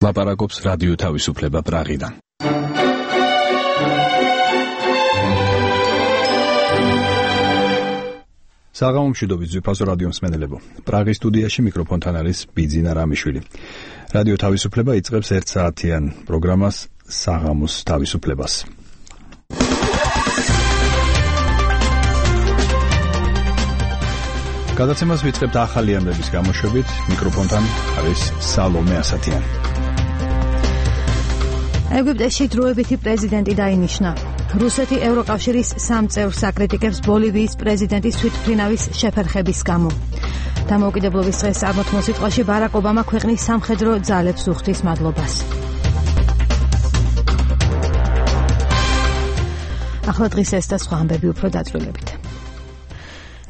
ლაპარაკობს რადიო თავისუფლება პრაღიდან. საღამომშვიდობით ძვირფასო რადიო მსმენელებო. პრაღის სტუდიაში მიკროფონთან არის ბიძინა რამიშვილი. რადიო თავისუფლება იწყებს 1 საათიან პროგრამას საღამოს თავისუფლებას. გადაცემას ვიწყებთ ახალი ამბების გამოშვებით. მიკროფონთან არის სალომე ასათიანი. ეგვიპტეში დროებითი პრეზიდენტი დაინიშნა. რუსეთი ევროკავშირის 3 წევრს აკრიტიკებს ბოლივიის პრეზიდენტის თვითმფრინავის შეფერხების გამო. დამოუკიდებლობის დღეს წარმოთმულ სიტყვაში ბარაკ ობამა ქვეყნის სამხედრო ძალებს უხდის მადლობას. ახლა დღის ეს და სხვა ამბები უფრო დაწვრილებით.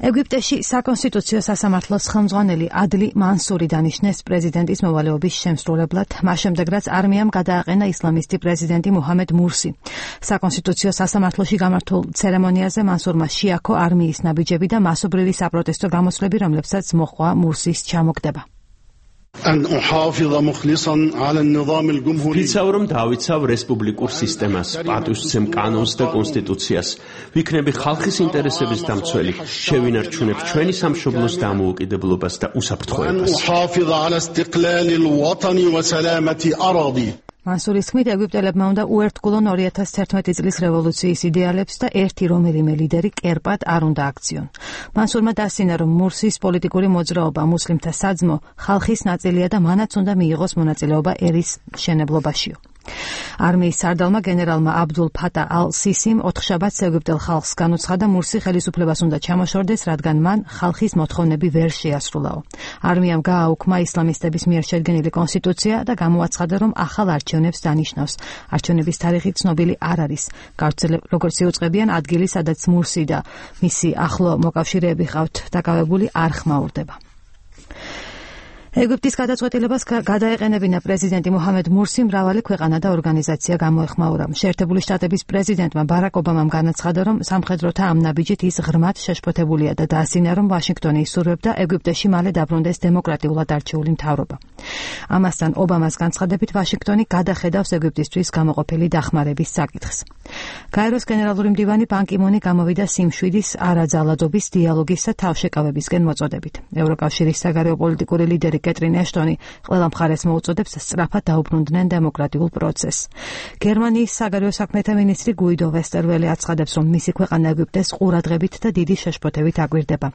ეგვიპტეში საკონსტიტუციო სასამართლოს ხელმძღვანელი ადლი მანსური დანიშნეს პრეზიდენტის მოვალეობის შემსრულებლად, მას შემდეგ რაც არმიამ გადააყენა ისლამისტი პრეზიდენტი მუჰამედ მურსი. საკონსტიტუციო სასამართლოში გამართულ ცერემონიაზე მანსურმა შეაქო არმიის ნაბიჯები და მასობრივი საპროტესტო გამოსვლები, რომლებსაც მოჰყვა მურსის ჩამოგდება. ვიცავ, რომ დავიცავ რესპუბლიკურ სისტემას, პატივსცემ კანონს და კონსტიტუციას. ვიქნები ხალხის ინტერესების დამცველი, შევინარჩუნებ ჩვენი სამშობლოს დამოუკიდებლობას და უსაფრთხოებას. მანსურის თქმით, ეგვიპტელებმა უნდა უერთგულონ 2011 წლის რევოლუციის იდეალებს და ერთი რომელიმე ლიდერი კერპად არ უნდა აქციონ. მანსურმა დასცინა, რომ მურსის პოლიტიკური მოძრაობა მუსლიმთა საძმო ხალხის ნაწილია და მანაც უნდა მიიღოს მონაწილეობა ერის მშენებლობაშიო. არმიის სარდალმა გენერალმა აბდულ ფატა ალ-სისიმ 4 შაბათს ეგვიპტელ ხალხს განუცხადა მურსი ხელისუფლებას უნდა ჩამოშორდეს, რადგან მან ხალხის მოთხოვნები ვერ შეასრულაო. არმიამ გააუქმა ისლამისტების მიერ შედგენილი კონსტიტუცია და გამოაცხადა, რომ ახალ არჩევნებს დანიშნავს. არჩევნების თარიღი ცნობილი არ არის. როგორც იუწყებიან, ადგილი, სადაც მურსი და მისი ახლო მოკავშირეები ყავთ დაკავებული, არ ხმაურდება. ეგვიპტის გადაწყვეტილებას გადაეყენებინა პრეზიდენტი მუჰამედ მურსი მრავალი ქვეყანა და ორგანიზაცია გამოეხმაურა. შეერთებული შტატების პრეზიდენტმა ბარაკ ობამამ განაცხადა, რომ სამხედროთა ამ ნაბიჯით ის ღრმად შეშფოთებულია და დაასინა, რომ ვაშინგტონი ისურვებდა ეგვიპტეში მალე დაბრუნდეს დემოკრატიულად არჩეული მთავრობა. ამასთან ობამას განცხადებით ვაშინგტონი გადახედავს ეგვიპტისთვის გამოყოფილი დახმარების საკითხს. გაეროს გენერალური მდივანი ბან კი მუნი გამოვიდა სიმშვიდის, არაძალადობის, დიალოგის და თავშეკავებისკენ მოწოდებით. ევროკავშირის საგარეო პოლიტიკური ლიდერი კეტრინ ეშტონი ყველა მხარეს მოუწოდებს სწრაფად დაუბრუნდნენ დემოკრატიულ პროცესს. გერმანიის საგარეო საქმეთა მინისტრი გუიდო ვესტერველი აცხადებს, რომ მისი ქვეყანა ეგვიპტეს ყურადღებით და დიდი შეშფოთებით აკვირდება.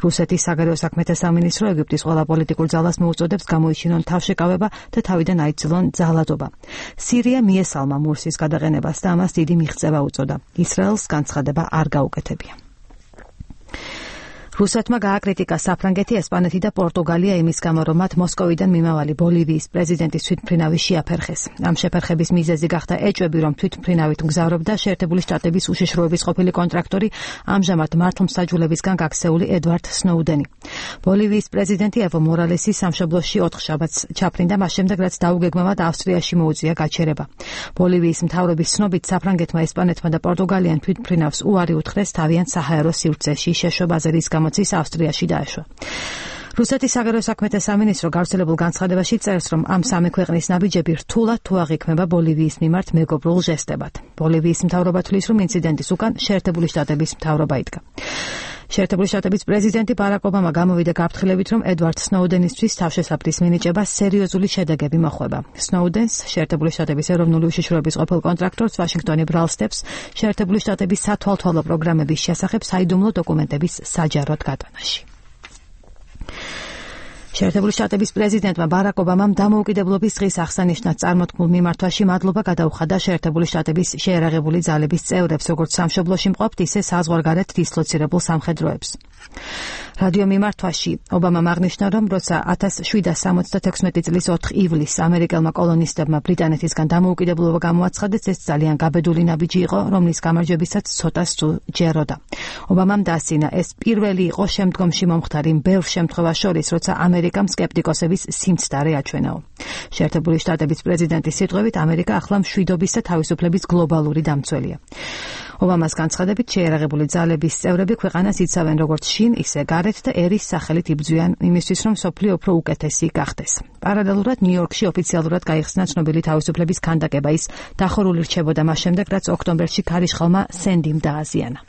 რუსეთის საგარეო საქმეთა სამინისტრო ეგვიპტის ყველა პოლიტიკურ ძალას მოუწოდებს გამოიჩინონ თავშეკავება და თავიდან აიძულონ ძალადობა. სირია მიესალმა მურსის გადაყენებას და ამას დიდი მიღწევა უწოდა. ისრაელს განცხადება არ გაუკეთებია. რუსეთმა გააკრიტიკა საფრანგეთი, ესპანეთი და პორტუგალია იმის გამო, რომ მათ მოსკოვიდან მიმავალი ბოლივიის პრეზიდენტის თვითმფრინავი შეაფერხეს. ამ შეფერხების მიზეზი გახდა ეჭვები, რომ თვითმფრინავით მგზავრობდა შეერთებული შტატების უშიშროების ყოფილი კონტრაქტორი, ამჟამად მართლმსაჯულებისგან გაქცეული ედვარდ სნოუდენი. ბოლივიის პრეზიდენტი ევო მორალესი სამშობლოში 4 შაბათს ჩაფრინდა, მას შემდეგ რაც დაუგეგმავად ავსტრიაში მოუწია გაჩერება. ბოლივიის მთავრობის ცნობით, საფრანგეთმა, ესპანეთმა და პორტუგალიამ თვითმფრინავს უარი უთხრეს თავიანთ საჰაერო სივრცეში შეშვებაზე, რის გამოც ავსტრიაში დაეშვა. რუსეთის საგარეო საქმეთა სამინისტრო გავრცელებულ განცხადებაში წერს, რომ ამ სამი ქვეყნის ნაბიჯები რთულად თუ აღიქმება ბოლივიის მიმართ მეგობრულ ჟესტებად. ბოლივიის მთავრობა თვლის, რომ ინციდენტის უკან შეერთებული შტატების მთავრობა იდგა. შეერთებული შტატების პრეზიდენტი ბარაკ ობამა გამოვიდა გაფრთხილებით, რომ ედვარდ სნოუდენისთვის თავშესაფრის მინიჭება სერიოზული შედეგები მოხვება. სნოუდენს, შეერთებული შტატების ეროვნული უშიშროების ყოფილ კონტრაქტორს, ვაშინგტონი ბრალსდებს შეერთებული შტატების სათვალთვალო პროგრამების შესახებ საიდუმლო დოკუმენტების საჯაროდ გატანაში. შეერთებული შტატების პრეზიდენტმა ბარაკ ობამამ დამოუკიდებლობის დღის აღსანიშნად წარმოთქმულ მიმართვაში მადლობა გადაუხადა შეერთებული შტატების შეერაღებული ძალების წევრებს, როგორც სამშობლოში მყოფ, ისე საზღვარგარეთ დისლოცირებულ სამხედროებს. რადიო მიმართვაში ობამამ აღნიშნა, რომ როცა 1776 წლის 4 ივლისს ამერიკელმა კოლონისტებმა ბრიტანეთისგან დამოუკიდებლობა გამოაცხადეს, ეს ძალიან გაბედული ნაბიჯი იყო, რომლის გამარჯვებისაც ცოტა სჯეროდა. ობამამ დასცინა, ეს პირველი იყო შემდგომში მომხდარი ბევრ შემთხვევას შორის, როცა ამერიკამ სკეპტიკოსების სიმცდარე აჩვენაო. შეერთებული შტატების პრეზიდენტის სიტყვებით, ამერიკა ახლა მშვიდობის და თავისუფლების გლობალური დამცველია. ობამას განცხადებით შეერაღებული ძალების წევრები ქვეყანას იცავენ როგორც შინ, ისე გარეთ და ერის სახელით იბრძვიან იმისთვის, რომ სოფლიო უფრო უკეთესი გახდეს. პარალელურად ნიუ-იორკში ოფიციალურად გაიხსნა ცნობილი თავისუფლების ქანდაკება. ის დახურული რჩებოდა მას შემდეგ, რაც ოქტომბერში ქარიშხალმა სენდიმ დააზიანა.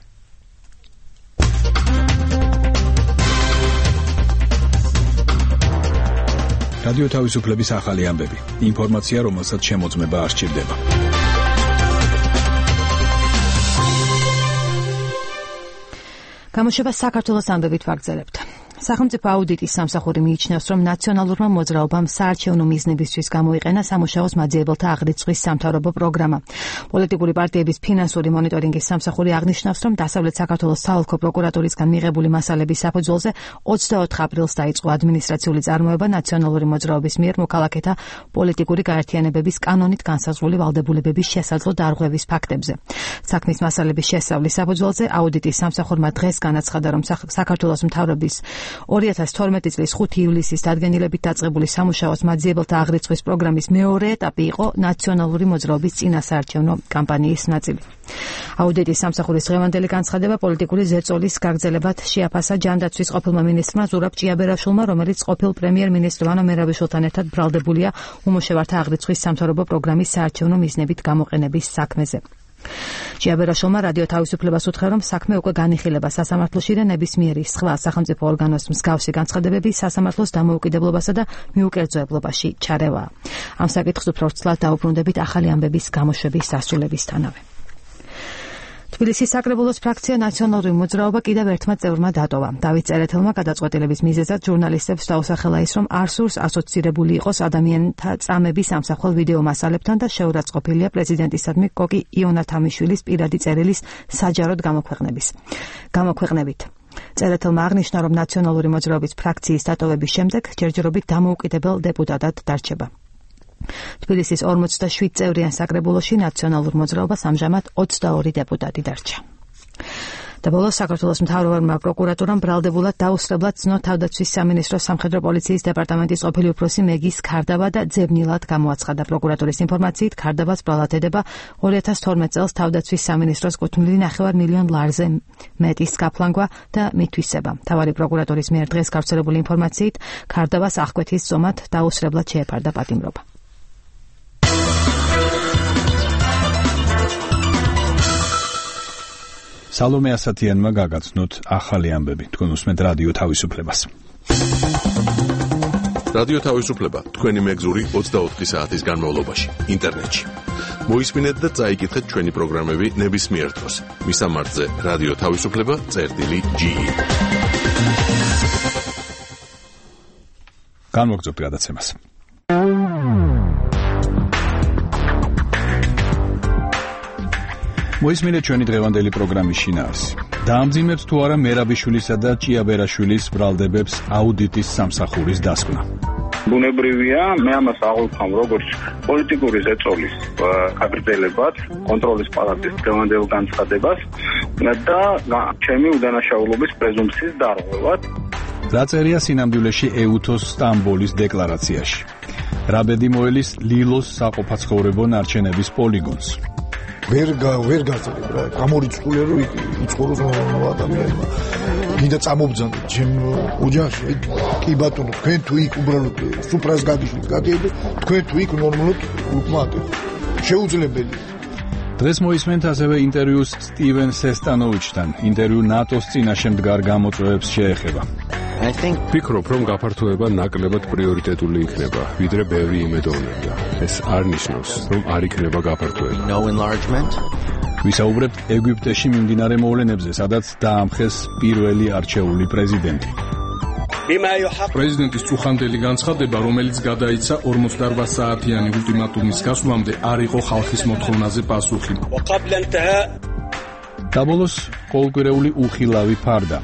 რადიო თავისუფლების ახალი ამბები. ინფორმაცია, რომელსაც შემოწმება არ სჭირდება. გამოშვება საქართველოს ამბებით ვაგრძელებთ. სახელმწიფო აუდიტის სამსახური მიიჩნევს, რომ ნაციონალურმა მოძრაობამ საარჩევნო მიზნებისთვის გამოიყენა სამუშაოს მაძიებელთა აღრიცხვის სამთავრობო პროგრამა. პოლიტიკური პარტიების ფინანსური მონიტორინგის სამსახური აღნიშნავს, რომ დასავლეთ საქართველოს საოლქო პროკურატურისგან მიღებული მასალების საფუძველზე 24 აპრილს დაიწყო ადმინისტრაციული წარმოება ნაციონალური მოძრაობის მიერ მოქალაქეთა პოლიტიკური გაერთიანებების კანონით განსაზღვრული ვალდებულებების შესაძლო დარღვევის ფაქტებზე. საქმის მასალების შესწავლის საფუძველზე აუდიტის სამსახურმა დღეს განაცხადა, რომ საქართველოს მთავრობის 2012 წლის 5 ივლისის დადგენილებით დაწყებული სამუშაოს მაძიებელთა აღრიცხვის პროგრამის მეორე ეტაპი იყო ნაციონალური მოძრაობის წინასაარჩევნო კამპანიის ნაწილი. აუდიტის სამსახურის დღევანდელი განცხადება პოლიტიკური ზეწოლის გაგრძელებად შეაფასა ჯანდაცვის ყოფილმა მინისტრმა ზურაბ ჭიაბერაშვილმა, რომელიც ყოფილ პრემიერ-მინისტრ ვანო მერაბიშვილთან ერთად ბრალდებულია უმუშევართა აღრიცხვის სამთავრობო პროგრამის საარჩევნო მიზნებით გამოყენების საქმეზე. ჭიაბერაშვილმა რადიო თავისუფლებას უთხრა, რომ საქმე უკვე განიხილება სასამართლოში და ნებისმიერი სხვა სახელმწიფო ორგანოს მსგავსი განცხადებები სასამართლოს დამოუკიდებლობასა და მიუკერძოებლობაში ჩარევაა. ამ საკითხს უფრო ვრცლად დაუბრუნდებით ახალი ამბების გამოშვების დასრულებისთანავე. თბილისის საკრებულოს ფრაქცია ნაციონალური მოძრაობა კიდევ ერთმა წევრმა დატოვა. დავით წერეთელმა გადაწყვეტილების მიზეზად ჟურნალისტებს დაუსახელა ის, რომ არ სურს ასოცირებული იყოს ადამიანთა წამების ამსახველ ვიდეო მასალებთან და შეურაცხყოფილია პრეზიდენტისადმი კოკი იონათამიშვილის პირადი წერილის საჯაროდ გამოქვეყნებით. წერეთელმა აღნიშნა, რომ ნაციონალური მოძრაობის ფრაქციის დატოვების შემდეგ ჯერჯერობით დამოუკიდებელ დეპუტატად დარჩება. თბილისის 47 წევრიან საკრებულოში ნაციონალურ მოძრაობას ამჟამად 22 დეპუტატი დარჩა. და ბოლოს საქართველოს მთავრობმა პროკურატურამ ბრალდებულად დაუსწრებლად ცნო თავდაცვის სამინისტროს სამხედრო პოლიციის დეპარტამენტის ყოფილი უფროსი მეგის ქარდაბა და ძებნილად გამოაცხადა. პროკურატურის ინფორმაციით ქარდაბას ბრალად ედება 2012 წელს თავდაცვის სამინისტროს კუთვნილი 9 მილიონ ლარზე მეტის გაფლანგვა და მითვისება. მთავარი პროკურატურის მიერ დღეს გავრცელებული ინფორმაციით ქარდაბას აღკვეთის ზომად დაუსწრებლად შეეფარდა პატიმრობა. სალომე ასათიანმა გაგაცნოთ ახალი ამბები. თქვენ უსმენთ რადიო თავისუფლებას. რადიო თავისუფლება თქვენი მეგზური 24 საათის განმავლობაში ინტერნეტში. მოისმინეთ და წაიკითხეთ ჩვენი პროგრამები ნებისმიერ დროს. მისამართზე რადიო თავისუფლება.ge. განმოგწევთ გადაცემას. მოისმინეთ ჩვენი დღევანდელი პროგრამის შინაარსი. დაამძიმებს თუ არა მერაბიშვილისა და ჭიაბერაშვილის ბრალდებებს აუდიტის სამსახურის დასკვნა. ბუნებრივია, მე ამას აღუქვამ როგორც პოლიტიკური ზეწოლის გაგრძელებად, კონტროლის პალატის დღევანდელ განცხადებას და ჩემი უდანაშაულობის პრეზუმპციის დარღვევად. რა წერია სინამდვილეში ეუთოს სტამბოლის დეკლარაციაში. რა ბედი მოელის ლილოს საყოფაცხოვრებო ნარჩენების პოლიგონს. ვერ გაძლებ რა გამორიცხულია რომ იცხოვროს ადამიანმა გინდა წამობძანდეთ ჩემ ოჯახში კი ბატონო თქვენ თუ იქ უბრალოდ სუფრას გაგიშვით გადიედეთ თქვენ თუ იქ ნორმალურად უკმააკეთ შეუძლებელი. დღეს მოისმენთ ასევე ინტერვიუს სტივენ სესტანოვიჩთან. ინტერვიუ ნატოს წინაშე მდგარ გამოწვევებს შეეხება. ვფიქრობ, რომ გაფართოება ნაკლებად პრიორიტეტული იქნება, ვიდრე ბევრი იმედოვნებდა. ეს არ ნიშნავს, რომ არ იქნება გაფართოება. ვისაუბრებთ ეგვიპტეში მიმდინარე მოვლენებზე, სადაც დაამხეს პირველი არჩეული პრეზიდენტი. პრეზიდენტის წუხანდელი განცხადება, რომელიც გადაიცა 48 საათიანი ულტიმატუმის გასვლამდე, არ იყო ხალხის მოთხოვნაზე პასუხი. და ბოლოს ყოველკვირეული უხილავი ფარდა.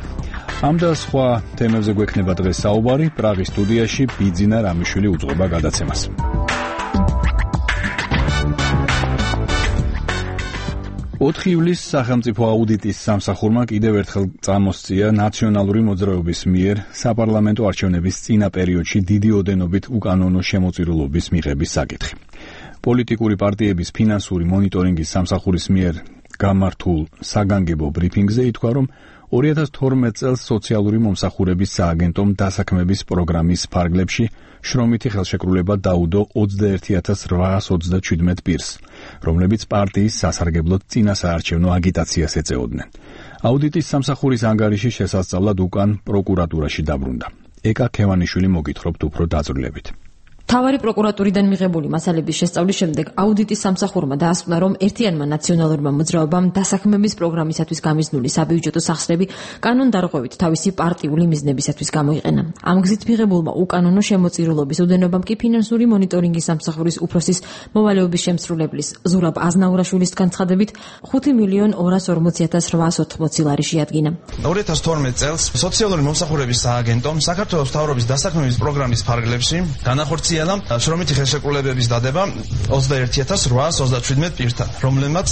ამ და სხვა თემებზე გვექნება დღეს საუბარი. პრაღის სტუდიაში ბიძინა რამიშვილი უძღვება გადაცემას. 4 ივლისს სახელმწიფო აუდიტის სამსახურმა კიდევ ერთხელ წამოსწია ნაციონალური მოძრაობის მიერ საპარლამენტო არჩევნების წინა პერიოდში დიდი ოდენობით უკანონო შემოწირულობის მიღების საკითხი. პოლიტიკური პარტიების ფინანსური მონიტორინგის სამსახურის მიერ გამართულ საგანგებო ბრიფინგზე ითქვა, რომ 2012 წელს სოციალური მომსახურების სააგენტომ დასაქმების პროგრამის ფარგლებში შრომითი ხელშეკრულება დაუდო 21837 პირს, რომლებიც პარტიის სასარგებლოდ წინასაარჩევნო აგიტაციას ეწეოდნენ. აუდიტის სამსახურის ანგარიში შესასწავლად უკან პროკურატურაში დაბრუნდა. ეკა ქევანიშვილი მოგითხრობთ უფრო დაწვრილებით. თავარი პროკურატურიდან მიღებული მასალების შესწავლის შემდეგ აუდიტის სამსახურმა დაასკვნა, რომ ერთიანმა ნაციონალურმა მოძრაობამ დასაქმების პროგრამისათვის გამიზნული საბიუჯეტო სახსრები კანონდარღვევით თავისი პარტიული მიზნებისათვის გამოიყენა. ამ გზით მიღებულმა უკანონო შემოწირულობის უდენობამ კი ფინანსური მონიტორინგის სამსახურის უფროსის მოვალეობის შემსრულებლის ზურაბ აზნაურაშვილის განცხადებით 5.240.880 ლარი შეადგინა. 2012 წელს სოციალური მომსახურების სააგენტომ საქართველოს მთავრობის დასაქმების პროგრამის ფარგლებში განახორციელა შრომითი ხელშეკრულებების დადება 21837 პირთან, რომლებმაც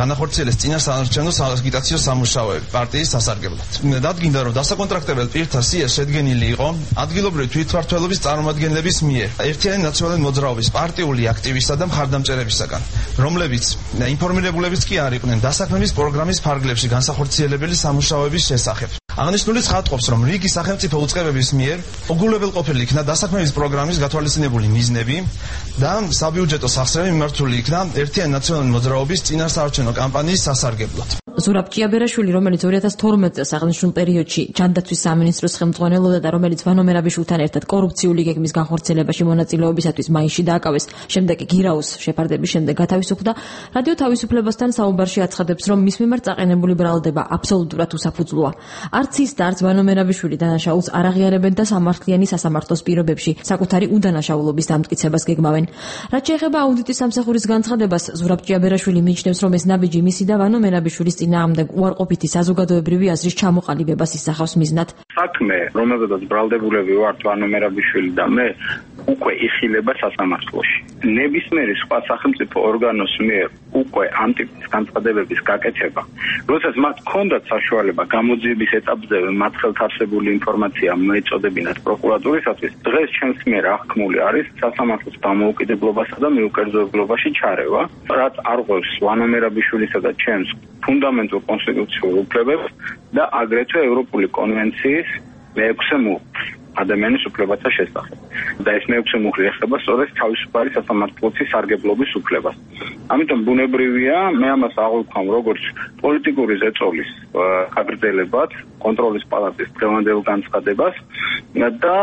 განახორციელეს წინასაარჩევნო აგიტაციო სამუშაოები პარტიის სასარგებლოდ. დადგინდა, რომ დასაკონტრაქტებელ პირთა სია შედგენილი იყო ადგილობრივი თვითმმართველობის წარმომადგენლების მიერ ერთიანი ნაციონალური მოძრაობის პარტიული აქტივისტთა და მხარდამჭერებისაგან, რომლებიც ინფორმირებულებიც კი არ იყვნენ დასაქმების პროგრამის ფარგლებში განსახორციელებელი სამუშაოების შესახებ. აღნიშნული ცხადყოფს, რომ რიგი სახელმწიფო უწყებების მიერ უგულებელყოფილი იქნა დასაქმების პროგრამის გათვალისწინებული მიზნები და საბიუჯეტო სახსრები მიმართული იქნა ერთიანი ნაციონალური მოძრაობის წინასაარჩევნო კამპანიის სასარგებლოდ. ზურაბ ჭიაბერაშვილი, რომელიც 2012 წელს აღნიშნულ პერიოდში ჯანდაცვის სამინისტროს ხელმძღვანელობდა და რომელიც ვანო მერაბიშვილთან ერთად კორუფციული გეგმის განხორციელებაში მონაწილეობისათვის მაისში დააკავეს, შემდეგ გირაუს შეფარდების შემდეგ გათავისუფლდა, რადიო თავისუფლებასთან საუბარში აცხადებს, რომ მის მიმართ წაყენებული ბრალდება აბსოლუტურად უსაფუძვლოა. არც ის და არც ვანო მერაბიშვილი დანაშაულს არ აღიარებენ და სამართლიანი სასამართლოს პირობებში საკუთარი უდანაშაულობის დამტკიცებას გეგმავენ. რაც შეეხება აუდიტის სამსახურის განცხადებას, ზურაბ ჭიაბერაშვილი მიიჩნევს, რომ ეს ნაბიჯი მისი და ვანო მერაბიშვილის წინააღმდეგ უარყოფითი საზოგადოებრივი აზრის ჩამოყალიბებას ისახავს მიზნად. საქმე, რომელზედაც ბრალდებულები ვართ ვანო მერაბიშვილი და მე, უკვე იხილება სასამართლოში. ნებისმიერი სხვა სახელმწიფო ორგანოს მიერ უკვე ამ ტიპის განცხადებების გაკეთება, როდესაც მათ ჰქონდათ საშუალება გამოძიების ეტაპზევე მათ ხელთ არსებული ინფორმაცია მოეწოდებინათ პროკურატურისათვის, დღეს ჩემს მიერ აღქმული არის სასამართლოს დამოუკიდებლობასა და მიუკერძოებლობაში ჩარევა, რაც არ ღვევს ვანო მერაბიშვილისა და ჩემს ფუნდამენტურ კონსტიტუციურ უფლებებს და აგრეთვე ევროპული კონვენციის მე-6 მუხლს ადამიანის უფლებათა შესახებ. და ეს მე-6 მუხლი ეხება სწორედ თავისუფალი სასამართლოების სარგებლობის უფლებას. ამიტომ ბუნებრივია მე ამას აღვიქვამ როგორც პოლიტიკური ზეწოლის გაგრძელებად, კონტროლის პალატის დღევანდელ განცხადებას და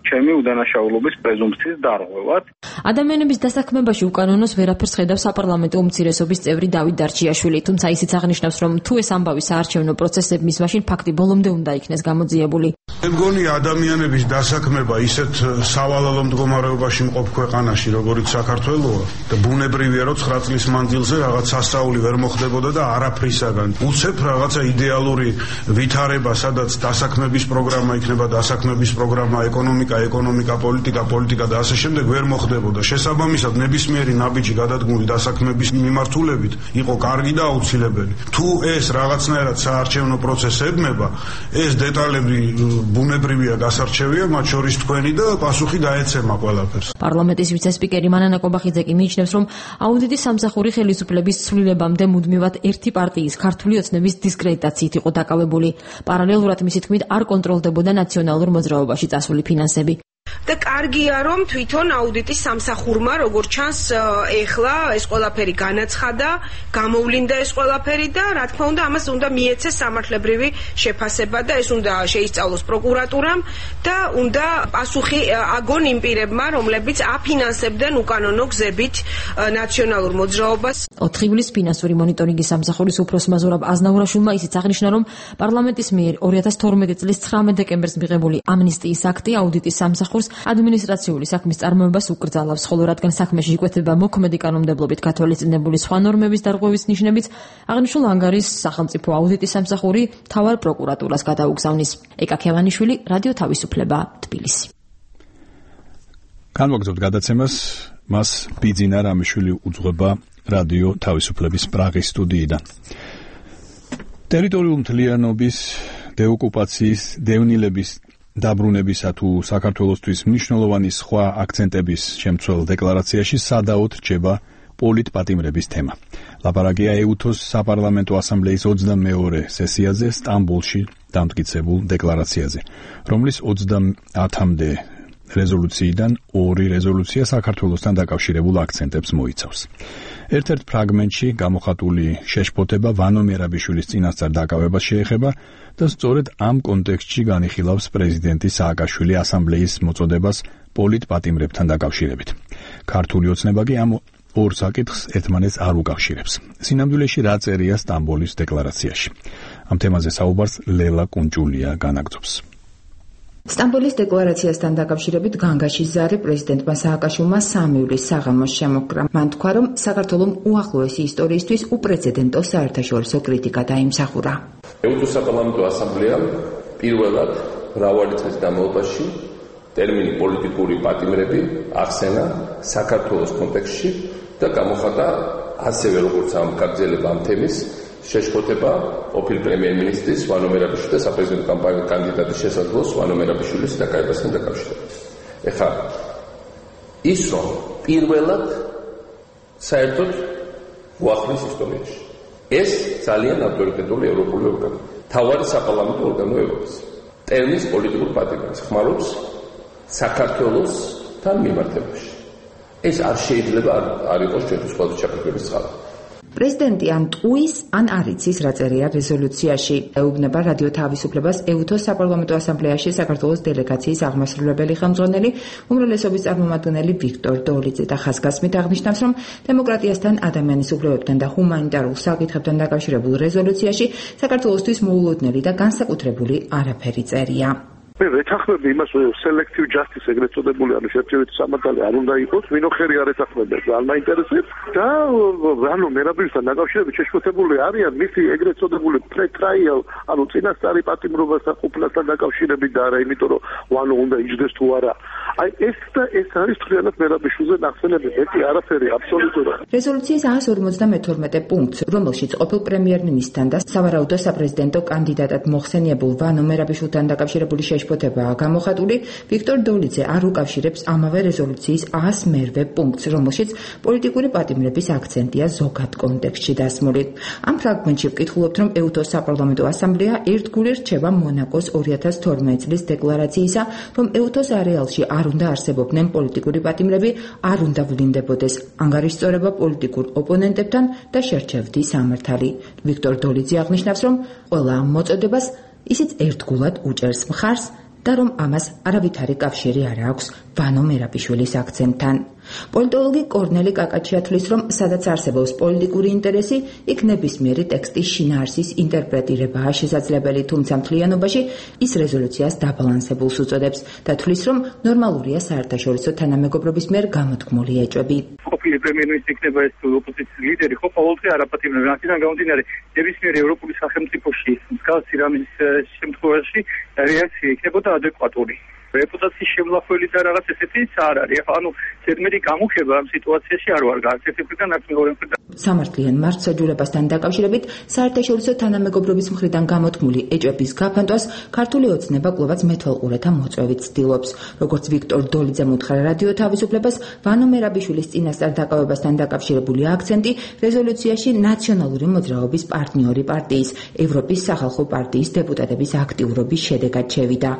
ჩემი უდანაშაულობის პრეზუმპციის დარღვევად. ადამიანების დასაქმებაში უკანონოს ვერაფერს ხედავს საპარლამენტო უმცირესობის წევრი დავით დარჩიაშვილი, თუმცა ისიც აღნიშნავს, რომ თუ ეს ამბავი საარჩევნო პროცესების მაშინ ფაქტი ბოლომდე უნდა იქნეს გამოძიებული. მე მგონი ადამიანების დასაქმება ისეთ სავალალო მდგომარეობაში მყოფ ქვეყანაში, როგორიც საქართველოა და ბუნებრივია, რომ 9 წლის მანძილზე რაღაც სასწაული ვერ მოხდებოდა და არაფრისაგან. უცებ რაღაცა იდეალური ვითარება, სადაც დასაქმების პროგრამა იქნება, დასაქმების პროგრამა, ეკონომიკა, პოლიტიკა და ასე შემდეგ ვერ მოხდებოდა. შესაბამისად, ნებისმიერი ნაბიჯი გადადგმული დასაქმების მიმართულებით იყო კარგი და აუცილებელი. თუ ეს რაღაცნაირად საარჩევნო პროცესს ებმება, ეს დეტალები ბუნებრივია გასარჩევია, მათ შორის თქვენი და პასუხი დაეცემა ყველაფერს. პარლამენტის ვიცე-სპიკერი მანანა კობახიძე კი მიიჩნევს, რომ აუდიტის სამსახური ხელისუფლების ცვლილებამდე მუდმივად ერთი პარტიის ქართული ოცნების დისკრედიტაციით იყო დაკავებული. პარალელურად მისი თქმით არ კონტროლდებოდა ნაციონალურ მოძრაობაში წასული ფინანსები. და კარგია, რომ თვითონ აუდიტის სამსახურმა, როგორც ჩანს, ეხლა ეს ყველაფერი განაცხადა, გამოვლინდა ეს ყველაფერი და რა თქმა უნდა, ამას უნდა მიეცეს სამართლებრივი შეფასება და ეს უნდა შეისწავლოს პროკურატურამ და უნდა პასუხი აგონ იმ პირებმა, რომლებიც აფინანსებდნენ უკანონო გზებით ნაციონალურ მოძრაობას. 4 ივლისს ფინანსური მონიტორინგის სამსახურის უფროსმა ზურაბ აზნაურაშვილმა ისიც აღნიშნა, რომ პარლამენტის მიერ 2012 წლის 19 დეკემბერს მიღებული ამნისტიის აქტი აუდიტის სამსახურს ადმინისტრაციული საქმის წარმოებას უკრძალავს, ხოლო რადგან საქმეში იკვეთება მოქმედი კანონმდებლობით გათვალისწინებული სხვა ნორმების დარღვევის ნიშნებით, აღნიშნულ ანგარიშს სახელმწიფო აუდიტის სამსახური მთავარ პროკურატურას გადაუგზავნის. ეკა ქევანიშვილი, რადიო თავისუფლება, თბილისი. განვაგრძობთ გადაცემას, მას ბიძინა რამიშვილი უძღვება რადიო თავისუფლების პრაღის სტუდიიდან. ტერიტორიულ მთლიანობის, დეოკუპაციის, დევნილების დაბრუნებისა თუ საქართველოსთვის მნიშვნელოვანი სხვა აქცენტების შემცველ დეკლარაციაში სადაოდ რჩება პოლიტპატიმრების თემა. ლაპარაკია EUTOS საპარლამენტო ასამბლეის 22-ე სესიაზე სტამბოლში დამტკიცებულ დეკლარაციაზე, რომლის 30-მდე რეზოლუციიდან 2 რეზოლუცია საქართველოსთან დაკავშირებულ აქცენტებს მოიცავს. ერთ-ერთ ფრაგმენტში გამოხატული შეშფოთება ვანო მერაბიშვილის წინასწარ დაკავებას შეეხება და სწორედ ამ კონტექსტში განიხილავს პრეზიდენტი სააკაშვილი ასამბლეის მოწოდებას პოლიტპატიმრებთან დაკავშირებით. ქართული ოცნება კი ამ ორ საკითხს ერთმანეთს არ უკავშირებს. სინამდვილეში რა წერია სტამბოლის დეკლარაციაში? ამ თემაზე საუბარს ლელა კუნჭულია განაგრძობს. სტამბოლის დეკლარაციასთან დაკავშირებით განგაშის ზარი პრეზიდენტმა სააკაშვილმა 3 ივლისს საღამოს შემოჰკრა. მან თქვა, რომ საქართველომ უახლოესი ისტორიისთვის უპრეცედენტო საერთაშორისო კრიტიკა დაიმსახურა. EUTOS საპარლამენტო ასამბლეამ პირველად მრავალი წლის განმავლობაში ტერმინი პოლიტიკური პატიმრები ახსენა საქართველოს კონტექსტში და გამოხატა ასევე როგორც ამ გაგრძელება ამ თემის შეშფოთება ყოფილ პრემიერ-მინისტრის ვანო მერაბიშვილის და საპრეზიდენტო კანდიდატის შესაძლოს ვანო მერაბიშვილის დაკავებასთან დაკავშირებით. ეხლა ის რომ პირველად საერთოდ უახლოეს ისტორიაში ეს ძალიან ავტორიტეტული ევროპული ორგანო, თავარი საპარლამენტო ორგანო ევროპის ტერმინს პოლიტიკურ პატიმრებს ხმარობს საქართველოსთან მიმართებაში. ეს არ შეიძლება არ იყოს ჩვენთვის ყოველთვის ჩაკეტების წყარო. პრეზიდენტი ან ტყუის, ან არ იცის რა წერია რეზოლუციაში. ეუბნება რადიო თავისუფლებას EUTOS საპარლამენტო ასამბლეაში საქართველოს დელეგაციის აღმასრულებელი ხელმძღვანელი, უმრავლესობის წარმომადგენელი ვიქტორ დოლიძე და ხაზგასმით აღნიშნავს, რომ დემოკრატიასთან, ადამიანის უფლებებთან და ჰუმანიტარულ საკითხებთან დაკავშირებულ რეზოლუციაში საქართველოსთვის მოულოდნელი და განსაკუთრებული არაფერი წერია. მე ვეთანხმები იმას, რომ selective justice ეგრეთ წოდებული ანუ შერჩევითი სამართალი არ უნდა იყოს, ვინოხერი არ ეთანხმება, ძალიან მაინტერესებს და ანუ მერაბიშვილთან დაკავშირებით შეშფოთებული არიან მისი ეგრეთ წოდებული pre-trial, ანუ წინასწარი პატიმრობასთან ყოფნასთან დაკავშირებით და არა იმიტომ, რომ ვანო უნდა იჯდეს თუ არა. აი ეს არის თვითონაც მერაბიშვილზე ნახსენები, მეტი არაფერი აბსოლუტურად. რეზოლუციის 152 პუნქტს, რომელშიც ყოფილ პრემიერ-მინისტრთან და სავარაუდო საპრეზიდენტო კანდიდატად მოხსენიებულ ვანო მერაბიშვილთან დაკავშირებული შეშფოთებაა გამოხატული, ვიქტორ დოლიძე არ უკავშირებს ამავე რეზოლუციის 101 პუნქტს, რომელშიც პოლიტიკური პატიმრების აქცენტია ზოგად კონტექსტში დასმული. ამ ფრაგმენტში ვკითხულობთ, რომ EUTOS საპარლამენტო ასამბლეა ერთგული რჩება მონაკოს 2012 წლის დეკლარაციისა, რომ EUTOS არეალში არ უნდა არსებობდნენ პოლიტიკური პატიმრები, არ უნდა ვლინდებოდეს ანგარიშწორება პოლიტიკურ ოპონენტებთან და შერჩევდი სამართალი. ვიქტორ დოლიძე აღნიშნავს, რომ ყველა ამ მოწოდებას ისიც ერთგულად უჭერს მხარს და რომ ამას არავითარი კავშირი არ აქვს ვანო მერაბიშვილის აქცენტთან. პოლიტოლოგი კორნელი კაკაჩია თვლის, რომ სადაც არსებობს პოლიტიკური ინტერესი, იქ ნებისმიერი ტექსტის შინაარსის ინტერპრეტირებაა შესაძლებელი, თუმცა მთლიანობაში ის რეზოლუციას დაბალანსებულს უწოდებს და თვლის, რომ ნორმალურია საერთაშორისო თანამეგობრობის მიერ გამოთქმული ეჭვები. ყოფილი პრემიერ-მინისტრი იქნება ეს ოპოზიციის ლიდერი, ხო ყოველდღე არაპატიმრებს. აქედან გამომდინარე, ნებისმიერი ევროპული სახელმწიფოში მსგავსი რამის შემთხვევაში რეაქცია იქნებოდა ადეკვატური. რეპუტაციის შემლახველი და რაღაც ესეთი არ არის. ანუ ზედმეტი გამუხება ამ სიტუაციაში არ ვარ გააცეთებიდან აქ მეორე მხრიდან. სამართლიან მარცხაჯურებასთან დაკავშირებით საერთაშორისო თანამეგობრობის მხრიდან გამოთქმული ეჭვების გაფანტვას ქართული ოცნება კვლავაც მეთვალყურეთა მოწვევით ცდილობს. როგორც ვიქტორ დოლიძემ უთხრა რადიო თავისუფლებას, ვანო მერაბიშვილის წინასწარ დაკავებასთან დაკავშირებული აქცენტი რეზოლუციაში ნაციონალური მოძრაობის პარტნიორი პარტიის, ევროპის სახალხო პარტიის დეპუტატების აქტიურობის შედეგად შევიდა.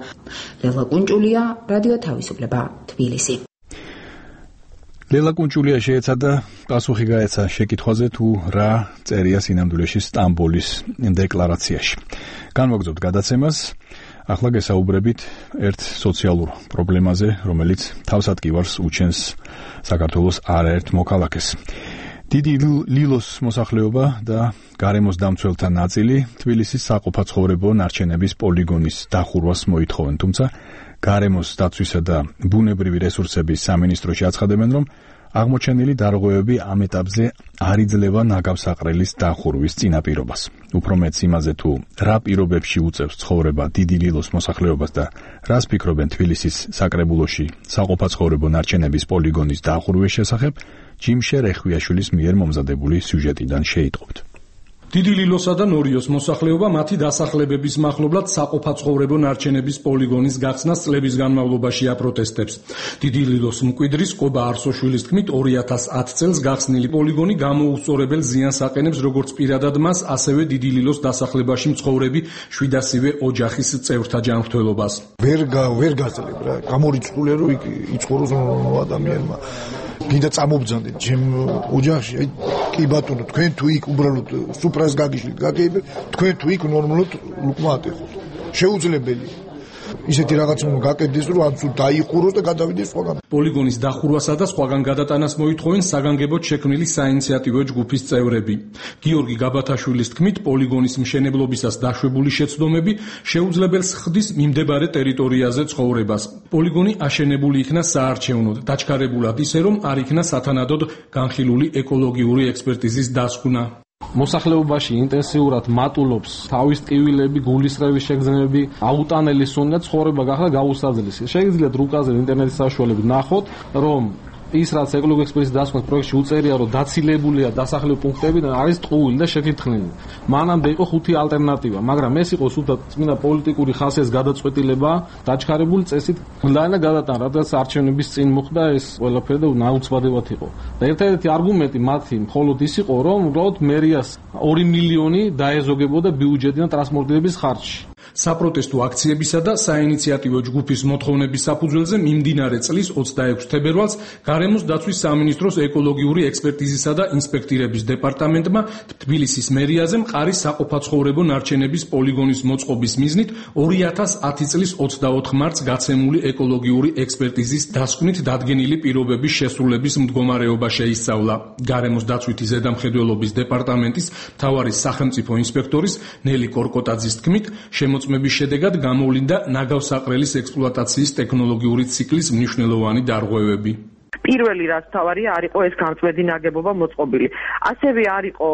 ლელა კუნჭულია, რადიო თავისუფლება, თბილისი. ლელა კუნჭულია შეეცადა პასუხი გაეცა შეკითხვაზე თუ რა წერია სინამდვილეში სტამბოლის დეკლარაციაში. განვაგრძობთ გადაცემას. ახლა გესაუბრებით ერთ სოციალურ პრობლემაზე, რომელიც თავსატკივარს უჩენს საქართველოს არაერთ მოქალაქეს. დიდი ლილოს მოსახლეობა და გარემოს დამცველთა ნაწილი თბილისის საყოფაცხოვრებო ნარჩენების პოლიგონის დახურვას მოითხოვენ, თუმცა გარემოს დაცვისა და ბუნებრივი რესურსების სამინისტროში აცხადებენ, რომ აღმოჩენილი დარღვევები ამ ეტაპზე არ იძლევა ნაგავსაყრელის დახურვის წინაპირობას. უფრო მეც იმაზე, თუ რა პირობებში უწევს ცხოვრება დიდი ლილოს მოსახლეობას და რას ფიქრობენ თბილისის საკრებულოში საყოფაცხოვრებო ნარჩენების პოლიგონის დახურვის შესახებ, ჯიმშე რეხვიაშვილის მიერ მომზადებული სიუჟეტიდან შეიტყობთ. დიდი ლილოსა და ნორიოს მოსახლეობა მათი დასახლებების მახლობლად საყოფაცხოვრებო ნარჩენების პოლიგონის გახსნას წლების განმავლობაში აპროტესტებს. დიდი ლილოს მკვიდრის კობა არსოშვილის თქმით 2010 წელს გახსნილი პოლიგონი გამოუსწორებელ ზიანს აყენებს როგორც პირადად მას, ასევე დიდი ლილოს დასახლებაში მცხოვრები 700-ვე ოჯახის წევრთა ჯანმრთელობას. ვერ გაძლებ რა, გამორიცხულია რომ იცხოვროს ადამიანმა. გინდა წამობძანდეთ ჩემ ოჯახში, აი კი ბატონო, თქვენ თუ იქ უბრალოდ სუფრას გაგიშლით, გაგეიბეთ, თქვენ თუ იქ ნორმალურად ლუკმა ატეხოთ. შეუძლებელია. ისეთი რაღაც უნდა გაკეთდეს, რომ ან თუ დაიყუროს და გადავიდეს სხვაგან. პოლიგონის დახურვასა და სხვაგან გადატანას მოითხოვენ საგანგებოდ შექმნილი საინიციატივო ჯგუფის წევრები. გიორგი გაბათაშვილის თქმით, პოლიგონის მშენებლობისას დაშვებული შეცდომები შეუძლებელს ხდის მიმდებარე ტერიტორიაზე ცხოვრებას. პოლიგონი აშენებული იქნა საარჩევნოდ, დაჩქარებულად ისე, რომ არ იქნა სათანადოდ განხილული ეკოლოგიური ექსპერტიზის დასკვნა. მოსახლეობაში ინტენსიურად მატულობს თავის ტკივილები, გულისრევის შეგრძნებები, აუტანელი სუნდა ცხოვრება გახდა გაუსაძლისი. შეგიძლიათ რუკაზე ინტერნეტის საშუალებით ნახოთ, რომ ის რაც ეკოლოგიური ექსპერტიზის დასკვნის პროექტში უწერია, რომ დაცილებულია დასახლებული პუნქტები და არის ტყუილი და შეთითხნილი. მანამდე იყო 5 ალტერნატივა, მაგრამ ეს იყო სულთა წმინდა პოლიტიკური ხასიათის გადაწყვეტილება, დაჩქარებული წესით გლანა გადატანა, რადგან არჩევნების წინ მოხდა ეს ყველაფერი და ნაუცბადებად იყო. და ერთ-ერთი არგუმენტი მათი მხოლოდ ის იყო, რომ უბრალოდ მერიას 2 მილიონი დაეზოგებოდა ბიუჯეტიდან ტრანსპორტირების ხარჯში. საპროტესტო აქციებისა და საინიციატივო ჯგუფის მოთხოვნების საფუძველზე მიმდინარე წლის 26 თებერვალს გარემოს დაცვის სამინისტროს ეკოლოგიური ექსპერტიზისა და ინსპექტირების დეპარტამენტმა თბილისის მერიაზე მყარის საყოფაცხოვრებო ნარჩენების პოლიგონის მოწყობის მიზნით 2010 წლის 24 მარტს გაცემული ეკოლოგიური ექსპერტიზის დასკვნით დადგენილი პირობების შესრულების მდგომარეობა შეისწავლა. გარემოს დაცვითი ზედამხედველობის დეპარტამენტის მთავარი სახელმწიფო ინსპექტორის ნელი კორკოტაძის თქმით, მოწმების შედეგად გამოვლინდა ნაგავსაყრელის ექსპლუატაციის ტექნოლოგიური ციკლის მნიშვნელოვანი დარღვევები. პირველი რაც თავარია არ იყო ეს გამწვედი ნაგებობა მოწყობილი. ასევე არ იყო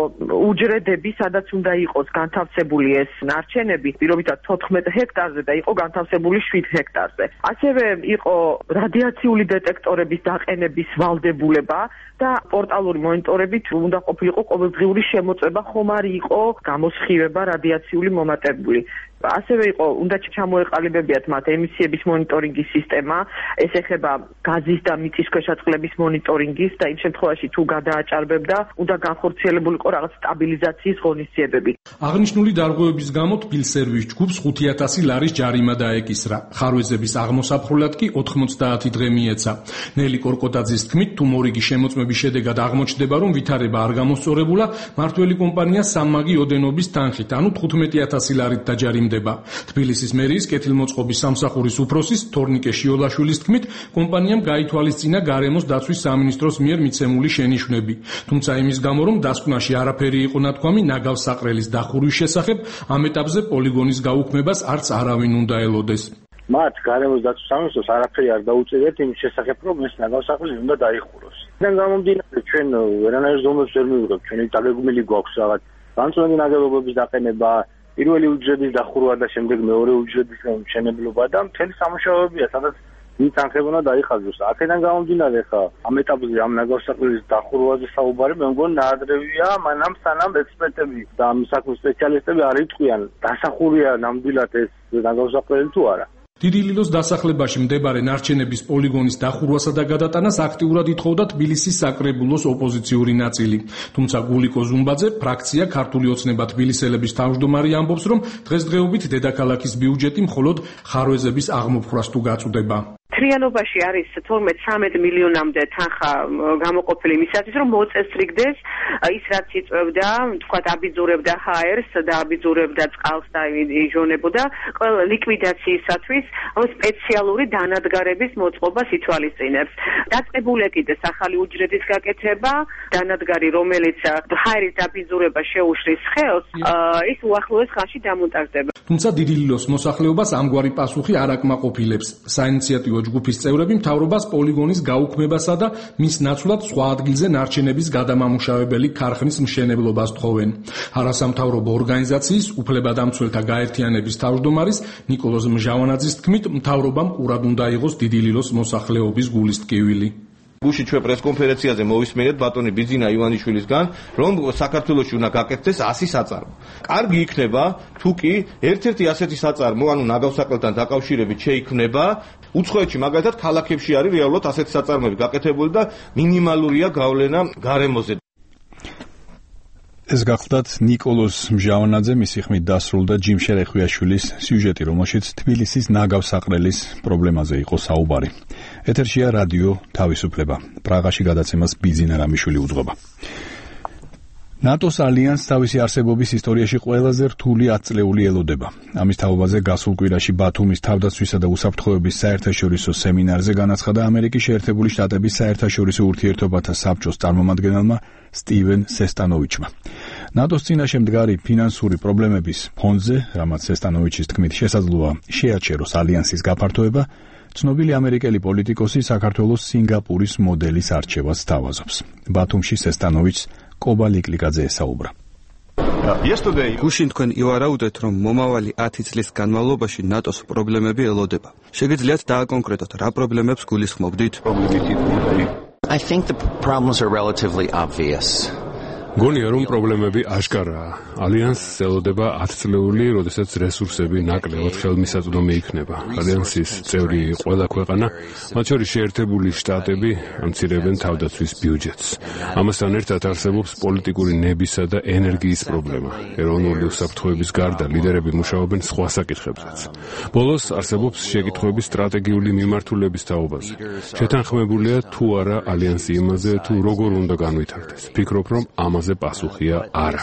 უჯრედები, სადაც უნდა იყოს განთავსებული ეს ნარჩენები, პირობითად 14 ჰექტარზე და იყო განთავსებული 7 ჰექტარზე. ასევე იყო რადიაციული დეტექტორების დაყენების ვალდებულება და პორტალური მონიტორებით უნდა ყოფილიყო ყოველდღიური შემოწმება, ხომ არ იყო გამოსხივება რადიაციული მომატებული. ასევე იყო უნდა ჩამოეყალიბებიათ მათ ემისიების მონიტორინგის სისტემა, ეს ეხება გაზის და მიწისქვეშა წყლების მონიტორინგის და იმ შემთხვევაში თუ გადააჭარბებდა, უნდა განხორციელებულიყო რაღაც სტაბილიზაციის ღონისძიებები. აღნიშნული დარღვევების გამო თბილსერვის ჯგუფს 5000 ლარის ჯარიმა დაეკისრა. ხარვეზების აღმოსაფრულად კი 90 დღე მიეცა. ნელი კორკოტაძის თქმით, თუ მორიგი შემოწმების შედეგად აღმოჩნდება, რომ ვითარება არ გამოსწორებულა, მართველი კომპანია სამმაგი ოდენობის თანხით, ანუ 15000 ლარით დაჯარიმდება. თბილისის მერიის კეთილმოწყობის სამსახურის უფროსის თორნიკე შიოლაშვილის თქმით, კომპანიამ გაითვალისწინა გარემოს დაცვის სამინისტროს მიერ მიცემული შენიშვნები. თუმცა იმის გამო, რომ დასკვნაში არაფერი იყო ნათქვამი ნაგავსაყრელის დახურვის შესახებ, ამ ეტაპზე პოლიგონის გაუქმებას არც არავინ უნდა ელოდეს. მათ გარემოს დაცვის სამინისტროს არაფერი არ დაუწევიათ იმ შესახებ, რომ ეს ნაგავსაყრელი უნდა დაიხუროს.იდან გამომდინარე, ჩვენ ვერანაირ ზომებს ვერ მივიღებთ, ჩვენი დაგეგმილი გვაქვს რაღაც განწმენდი ნაგებობების დაყენება, პირველი უჯრედის დახურვა და შემდეგ მეორე უჯრედის მშენებლობა და მთელი სამუშაოებია, სადაც ვინც ანხებონა დაიხაზოს. აქედან გამომდინარე, ხა ამ ეტაპზე ამ ნაგავსაყრელის დახურვაზე საუბარი მე მგონი ნაადრევია, მანამ სანამ ექსპერტები და ამ საქმის სპეციალისტები არ იტყვიან, დასახურია ნამდვილად ეს ნაგავსაყრელი თუ არა. დიდი ლილოს დასახლებაში მდებარე ნარჩენების პოლიგონის დახურვასა და გადატანას აქტიურად ითხოვდა თბილისის საკრებულოს ოპოზიციური ნაწილი. თუმცა გულიკო ზუმბაძე, ფრაქცია ქართული ოცნება თბილისელების თავმჯდომარე ამბობს, რომ დღესდღეობით დედაქალაქის ბიუჯეტი მხოლოდ ხარვეზების აღმოფხვრას თუ გაწვდება. მთლიანობაში არის 12-13 მილიონამდე თანხა გამოყოფილი იმისათვის, რომ მოწესრიგდეს ის რაც იწევდა, თქვათ აბიძურებდა ჰაერს და აბიძურებდა წყალს და იჟონებოდა ყველა ლიკვიდაციისათვის სპეციალური დანადგარების მოწყობას ითვალისწინებს. დაწყებული კიდეს ახალი უჯრედის გაკეთება, დანადგარი რომელიც ჰაერის დაბიძურება შეუშლის ხელს, ის უახლოეს ხანში დამონტაჟდება. თუმცა დიდი ლილოს მოსახლეობას ამგვარი პასუხი არ აკმაყოფილებს. საინიციატივო ჯგუფის წევრები მთავრობას პოლიგონის გაუქმებასა და მის ნაცვლად სხვა ადგილზე ნარჩენების გადამამუშავებელი ქარხნის მშენებლობას თხოვენ. არასამთავრობო ორგანიზაციის უფლებადამცველთა გაერთიანების თავმჯდომარის ნიკოლოზ მჟავანაძის თქმით, მთავრობამ ყურად უნდა იღოს დიდი ლილოს მოსახლეობის გულის ტკივილი. გუშინ ჩვენ პრესკონფერენციაზე მოვისმენთ ბატონი ბიძინა ივანიშვილისგან, რომ საქართველოში უნდა გაკეთდეს 100 საწარმო. კარგი იქნება, თუ კი ერთ-ერთი ასეთი საწარმო, ანუ ნაგავსაყრელთან დაკავშირებით შეიქმნება, უცხოეთში მაგალითად ქალაქებში არის რეალურად ასეთი საწარმოები გაკეთებული და მინიმალურია გავლენა გარემოზე. ეს გახლდათ ნიკოლოზ მჟავანაძე, მისი ხმით დასრულდა ჯიმ შერეხვიაშვილის სიუჟეტი, რომელშიც თბილისის ნაგავსაყრელის პრობლემაზე იყო საუბარი. ეთერშია რადიო თავისუფლება. პრაღაში გადაცემას ბიძინა რამიშვილი უძღვება. ნატოს ალიანსს თავისი არსებობის ისტორიაში ყველაზე რთული 10 წლეული ელოდება. ამის თაობაზე გასულ კვირაში ბათუმის თავდაცვისა და უსაფრთხოების საერთაშორისო სემინარზე განაცხადა ამერიკის შეერთებული შტატების საერთაშორისო ურთიერთობათა საბჭოს წარმომადგენელმა სტივენ სესტანოვიჩმა. ნატოს წინაშე მდგარი ფინანსური პრობლემების ფონზე, რამაც სესტანოვიჩის თქმით შესაძლოა შეაჩეროს ალიანსის გაფართოება, ცნობილი ამერიკელი პოლიტიკოსი საქართველოს სინგაპურის მოდელის არჩევას სთავაზობს. ბათუმში სესტანოვიჩს კობა ლიკლიკაძე ესაუბრა. გუშინ თქვენ ივარაუდეთ, რომ მომავალი 10 წლის განმავლობაში ნატოს პრობლემები ელოდება. შეგიძლიათ დააკონკრეტოთ, რა პრობლემებს გულისხმობდით? I think the problems are relatively obvious. გონია რომ პრობლემები აშკარაა. ალიანსს ელოდება 10 წლეული, როდესაც რესურსები ნაკლებად ხელმისაწვდომი იქნება. ალიანსის წევრი ყველა ქვეყანა, მათ შორის შეერთებული შტატები, ამცირებენ თავდაცვის ბიუჯეტს. ამასთან ერთად არსებობს პოლიტიკური ნებისა და ენერგიის პრობლემა. ეროვნული უსაფრთხოების გარდა ლიდერები მუშაობენ სხვა საკითხებზეც. ბოლოს არსებობს შეკითხვები სტრატეგიული მიმართულების თაობაზე. შეთანხმებულია თუ არა ალიანსი იმაზე, თუ როგორ უნდა განვითარდეს. ფიქრობ, რომ ამაზე პასუხია არა.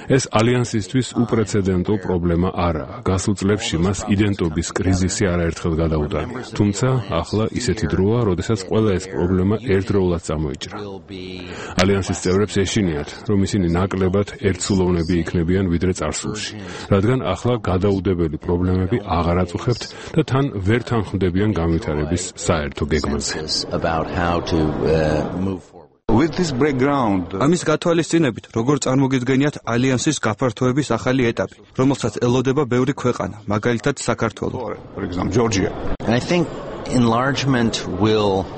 ეს ალიანსისთვის უპრეცედენტო პრობლემა არაა. გასულ წლებში მას იდენტობის კრიზისი არაერთხელ გადაუტანია. თუმცა ახლა ისეთი დროა, როდესაც ყველა ეს პრობლემა ერთდროულად წამოიჭრა. ალიანსის წევრებს ეშინიათ, რომ ისინი ნაკლებად ერთსულოვნები იქნებიან ვიდრე წარსულში, რადგან ახლა გადაუდებელი პრობლემები აღარ აწუხებთ და თან ვერ თანხმდებიან განვითარების საერთო გეგმაზე. ამის გათვალისწინებით, როგორ წარმოგიდგენიათ ალიანსის გაფართოების ახალი ეტაპი, რომელსაც ელოდება ბევრი ქვეყანა, მაგალითად საქართველო. I think enlargement will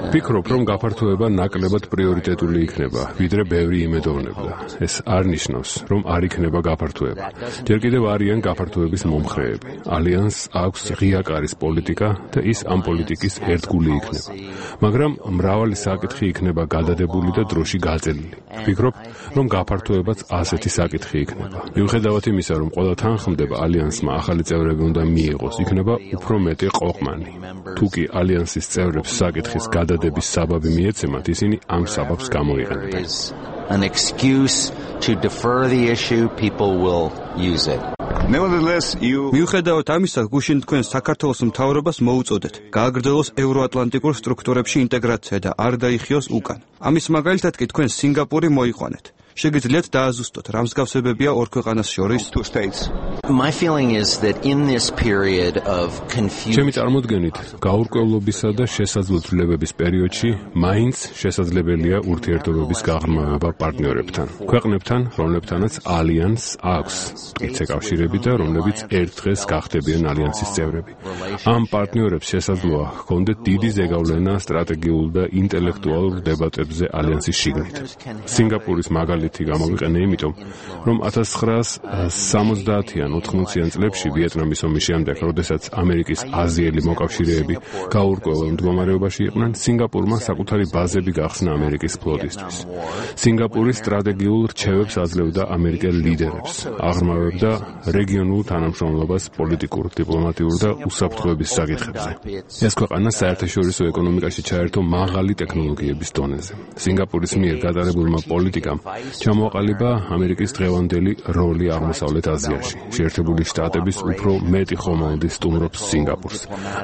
ფიქრობ, რომ გაფართოება ნაკლებად პრიორიტეტული იქნება, ვიდრე ბევრი იმედოვნებდა. ეს არ ნიშნავს, რომ არ იქნება გაფართოება. ჯერ კიდევ არიან გაფართოების მომხრეები. ალიანსს აქვს ღია კარის პოლიტიკა და ის ამ პოლიტიკის ერთგული იქნება. მაგრამ მრავალი საკითხი იქნება გადადებული და დროში გაწელილი. ვფიქრობ, რომ გაფართოებაც ასეთი საკითხი იქნება. მიუხედავად იმისა, რომ ყველა თანხმდება ალიანსმა ახალი წევრები უნდა მიიღოს, იქნება უფრო მეტი ყოყმანი. თუკი ალიანსის წევრებს საკითხის გადადების საბაბი მიეცემათ, ისინი ამ საბაბს გამოიყენებენ. An excuse to defer the issue, people will use it. მიუხედავად ამისა, გუშინ თქვენ საქართველოს მთავრობას მოუწოდეთ გააგრძელოს ევროატლანტიკურ სტრუქტურებში ინტეგრაცია და არ დაიხიოს უკან. ამის მაგალითად კი თქვენ სინგაპური მოიყვანეთ. შეგიძლიათ დააზუსტოთ, რა მსგავსებებია ორ ქვეყანას შორის? My feeling is that in this period of confusion ჩემი წარმოდგენით, გაურკვევლობისა და შესაძლო ცვლილებების პერიოდში მაინც შესაძლებელია ურთიერთობების გაღრმავება პარტნიორებთან, ქვეყნებთან, რომლებთანაც ალიანსს აქვს მტკიცე კავშირები და რომლებიც ერთ დღეს გახდებიან ალიანსის წევრები. ამ პარტნიორებს შესაძლოა ჰქონდეთ დიდი ზეგავლენა სტრატეგიულ და ინტელექტუალურ დებატებზე ალიანსის შიგნით. სინგაპურის მაგალითი გამოვიყენე იმიტომ, რომ 1970-იან 80-იან წლებში ვიეტნამის ომის შემდეგ, როდესაც ამერიკის აზიელი მოკავშირეები გაურკვეველ მდგომარეობაში იყვნენ, სინგაპურმა საკუთარი ბაზები გახსნა ამერიკის ფლოტისთვის. სინგაპური სტრატეგიულ რჩევებს აძლევდა ამერიკელ ლიდერებს, აღრმავებდა რეგიონულ თანამშრომლობას პოლიტიკურ, დიპლომატიურ და უსაფრთხოების საკითხებზე. ეს ქვეყანა საერთაშორისო ეკონომიკაში ჩაერთო მაღალი ტექნოლოგიების დონეზე. სინგაპურის მიერ გატარებულმა პოლიტიკამ ჩამოაყალიბა ამერიკის დღევანდელი როლი აღმოსავლეთ აზიაში. შეერთებული შტატების უფრო მეტი ხომალდი სტუმრობს სინგაპურს.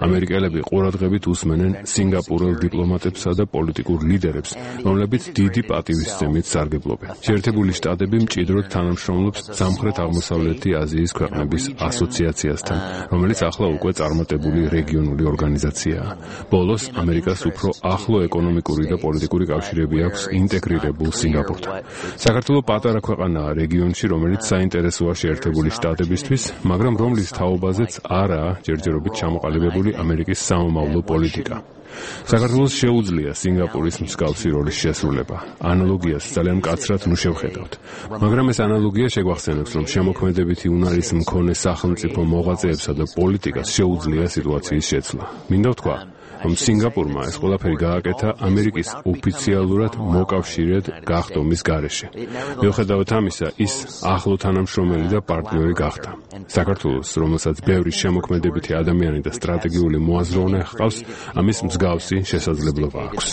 ამერიკელები ყურადღებით უსმენენ სინგაპურელ დიპლომატებსა და პოლიტიკურ ლიდერებს, რომლებიც დიდი პატივისცემით სარგებლობენ. შეერთებული შტატები მჭიდროდ თანამშრომლობს სამხრეთ-აღმოსავლეთი აზიის ქვეყნების ასოციაციასთან, რომელიც ახლა უკვე წარმატებული რეგიონული ორგანიზაციაა. ბოლოს ამერიკას უფრო ახლო ეკონომიკური და პოლიტიკური კავშირები აქვს ინტეგრირებულ სინგაპურთან. საქართველო პატარა ქვეყანაა რეგიონში, რომელიც საინტერესოა შეერთებული შტატებისთვის, მაგრამ რომლის თაობაზეც არაა ჯერჯერობით ჩამოყალიბებული ამერიკის სამომავლო პოლიტიკა. საქართველოს შეუძლია სინგაპურის მსგავსი როლის შესრულება. ანალოგიას ძალიან მკაცრად ნუ შევხედავთ. მაგრამ ეს ანალოგია შეგვახსენებს, რომ შემოქმედებითი უნარის მქონე სახელმწიფო მოღვაწეებსა და პოლიტიკას შეუძლია სიტუაციის შეცვლა. მინდა ვთქვა, რომ სინგაპურმა ეს ყველაფერი გააკეთა ამერიკის ოფიციალურად მოკავშირედ გახდომის გარეშე. მიუხედავად ამისა, ის ახლო თანამშრომელი და პარტნიორი გახდა. საქართველოს, რომელსაც ბევრი შემოქმედებითი ადამიანი და სტრატეგიული მოაზროვნე ჰყავს, ამის მსგავსი შესაძლებლობა აქვს.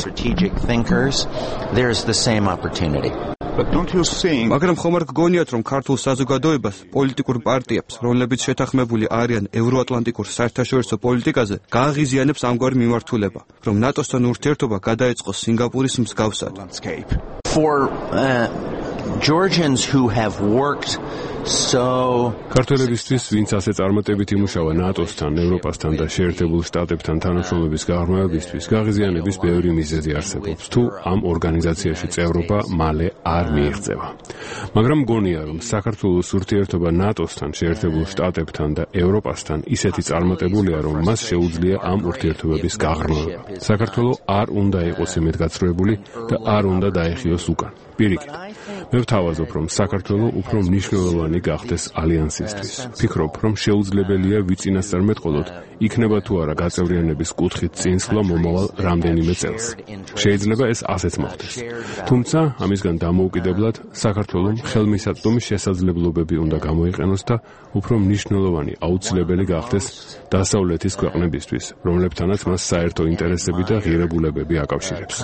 მაგრამ ხომ არ გგონიათ, რომ ქართულ საზოგადოებას, პოლიტიკურ პარტიებს, რომლებიც შეთანხმებული არიან ევროატლანტიკურ საერთაშორისო პოლიტიკაზე, გააღიზიანებს ამგვარი მიმართულება, რომ ნატოსთან ურთიერთობა გადაეწყოს სინგაპურის მსგავსად. Georgians who have worked ქართველებისთვის, ვინც ასე წარმატებით იმუშავა ნატოსთან, ევროპასთან და შეერთებულ შტატებთან თანამშრომლობის გაღრმავებისთვის, გაღიზიანების ბევრი მიზეზი არსებობს, თუ ამ ორგანიზაციაში წევრობა მალე არ მიიღწევა. მაგრამ მგონია, რომ საქართველოს ურთიერთობა ნატოსთან, შეერთებულ შტატებთან და ევროპასთან ისეთი წარმატებულია, რომ მას შეუძლია ამ ურთიერთობების გაღრმავება. საქართველო არ უნდა იყოს იმედგაცრუებული და არ უნდა დაეხიოს უკან. პირიქით, მე ვთავაზობ, რომ საქართველო უფრო მნიშვნელოვანი გახდეს ალიანსისთვის. ფიქრობ, რომ შეუძლებელია ვიწინასწარმეტყველოთ, იქნება თუ არა გაწევრიანების კუთხით წინსვლა მომავალ რამდენიმე წელს. შეიძლება ეს ასეც მოხდეს. თუმცა, ამისგან დამოუკიდებლად, საქართველომ ხელმისაწვდომი შესაძლებლობები უნდა გამოიყენოს და უფრო მნიშვნელოვანი აუცილებელი გახდეს დასავლეთის ქვეყნებისთვის, რომლებთანაც მას საერთო ინტერესები და ღირებულებები აკავშირებს.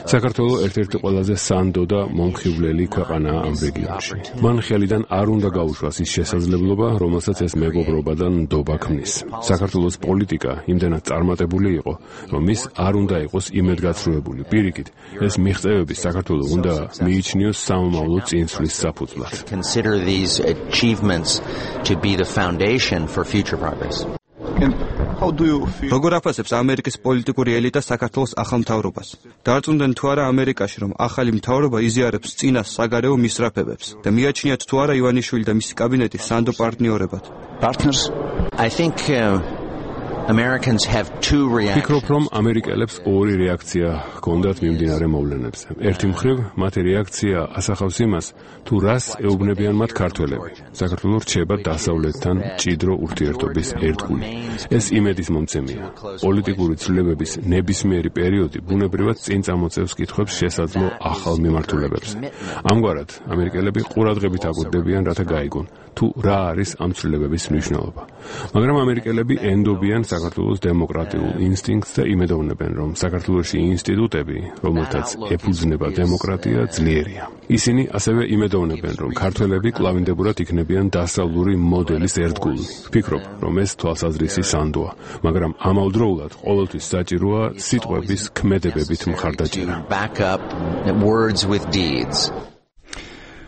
საქართველო ერთ-ერთი ყველაზე სანდო და მომხიბვლელი ქვეყანაა ამ რეგიონში. მან ხელიდან არ უნდა გაუშვას ის შესაძლებლობა, რომელსაც ეს მეგობრობა და ნდობა ქმნის. საქართველოს პოლიტიკა იმდენად წარმატებული იყო, რომ ის არ უნდა იყოს იმედგაცრუებული. პირიქით, ეს მიღწევები საქართველოს უნდა მიიჩნიოს სამომავლო წინსვლის საფუძვლად. როგორ აფასებს ამერიკის პოლიტიკური ელიტა საქართველოს ახალ მთავრობას? დარწმუნდნენ თუ არა ამერიკაში, რომ ახალი მთავრობა იზიარებს წინას საგარეო მისწრაფებებს და მიაჩნიათ თუ არა ივანიშვილი და მისი კაბინეტი სანდო პარტნიორებად? ფიქრობ, რომ ამერიკელებს ორი რეაქცია ჰქონდათ მიმდინარე მოვლენებზე. ერთი მხრივ, მათი რეაქცია ასახავს იმას, თუ რას ეუბნებიან მათ ქართველები. საქართველო რჩება დასავლეთთან მჭიდრო ურთიერთობის ერთგული. ეს იმედის მომცემია. პოლიტიკური ცვლილებების ნებისმიერი პერიოდი ბუნებრივად წინ წამოწევს კითხვებს შესაძლო ახალ მიმართულებებზე. ამგვარად, ამერიკელები ყურადღებით აკვირდებიან, რათა გაიგონ, თუ რა არის ამ ცვლილებების მნიშვნელობა. მაგრამ ამერიკელები ენდობიან საქართველოს დემოკრატიულ ინსტინქტს და იმედოვნებენ, რომ საქართველოში ინსტიტუტები, რომელთაც ეფუძნება დემოკრატია, ძლიერია. ისინი ასევე იმედოვნებენ, რომ ქართველები კლავინდებურად იქნებიან დასავლური მოდელის ერთგული. ფიქრობ, რომ ეს თვალსაზრისი სანდოა, მაგრამ ამავდროულად ყოველთვის საჭიროა სიტყვების ქმედებებით მხარდაჭერა.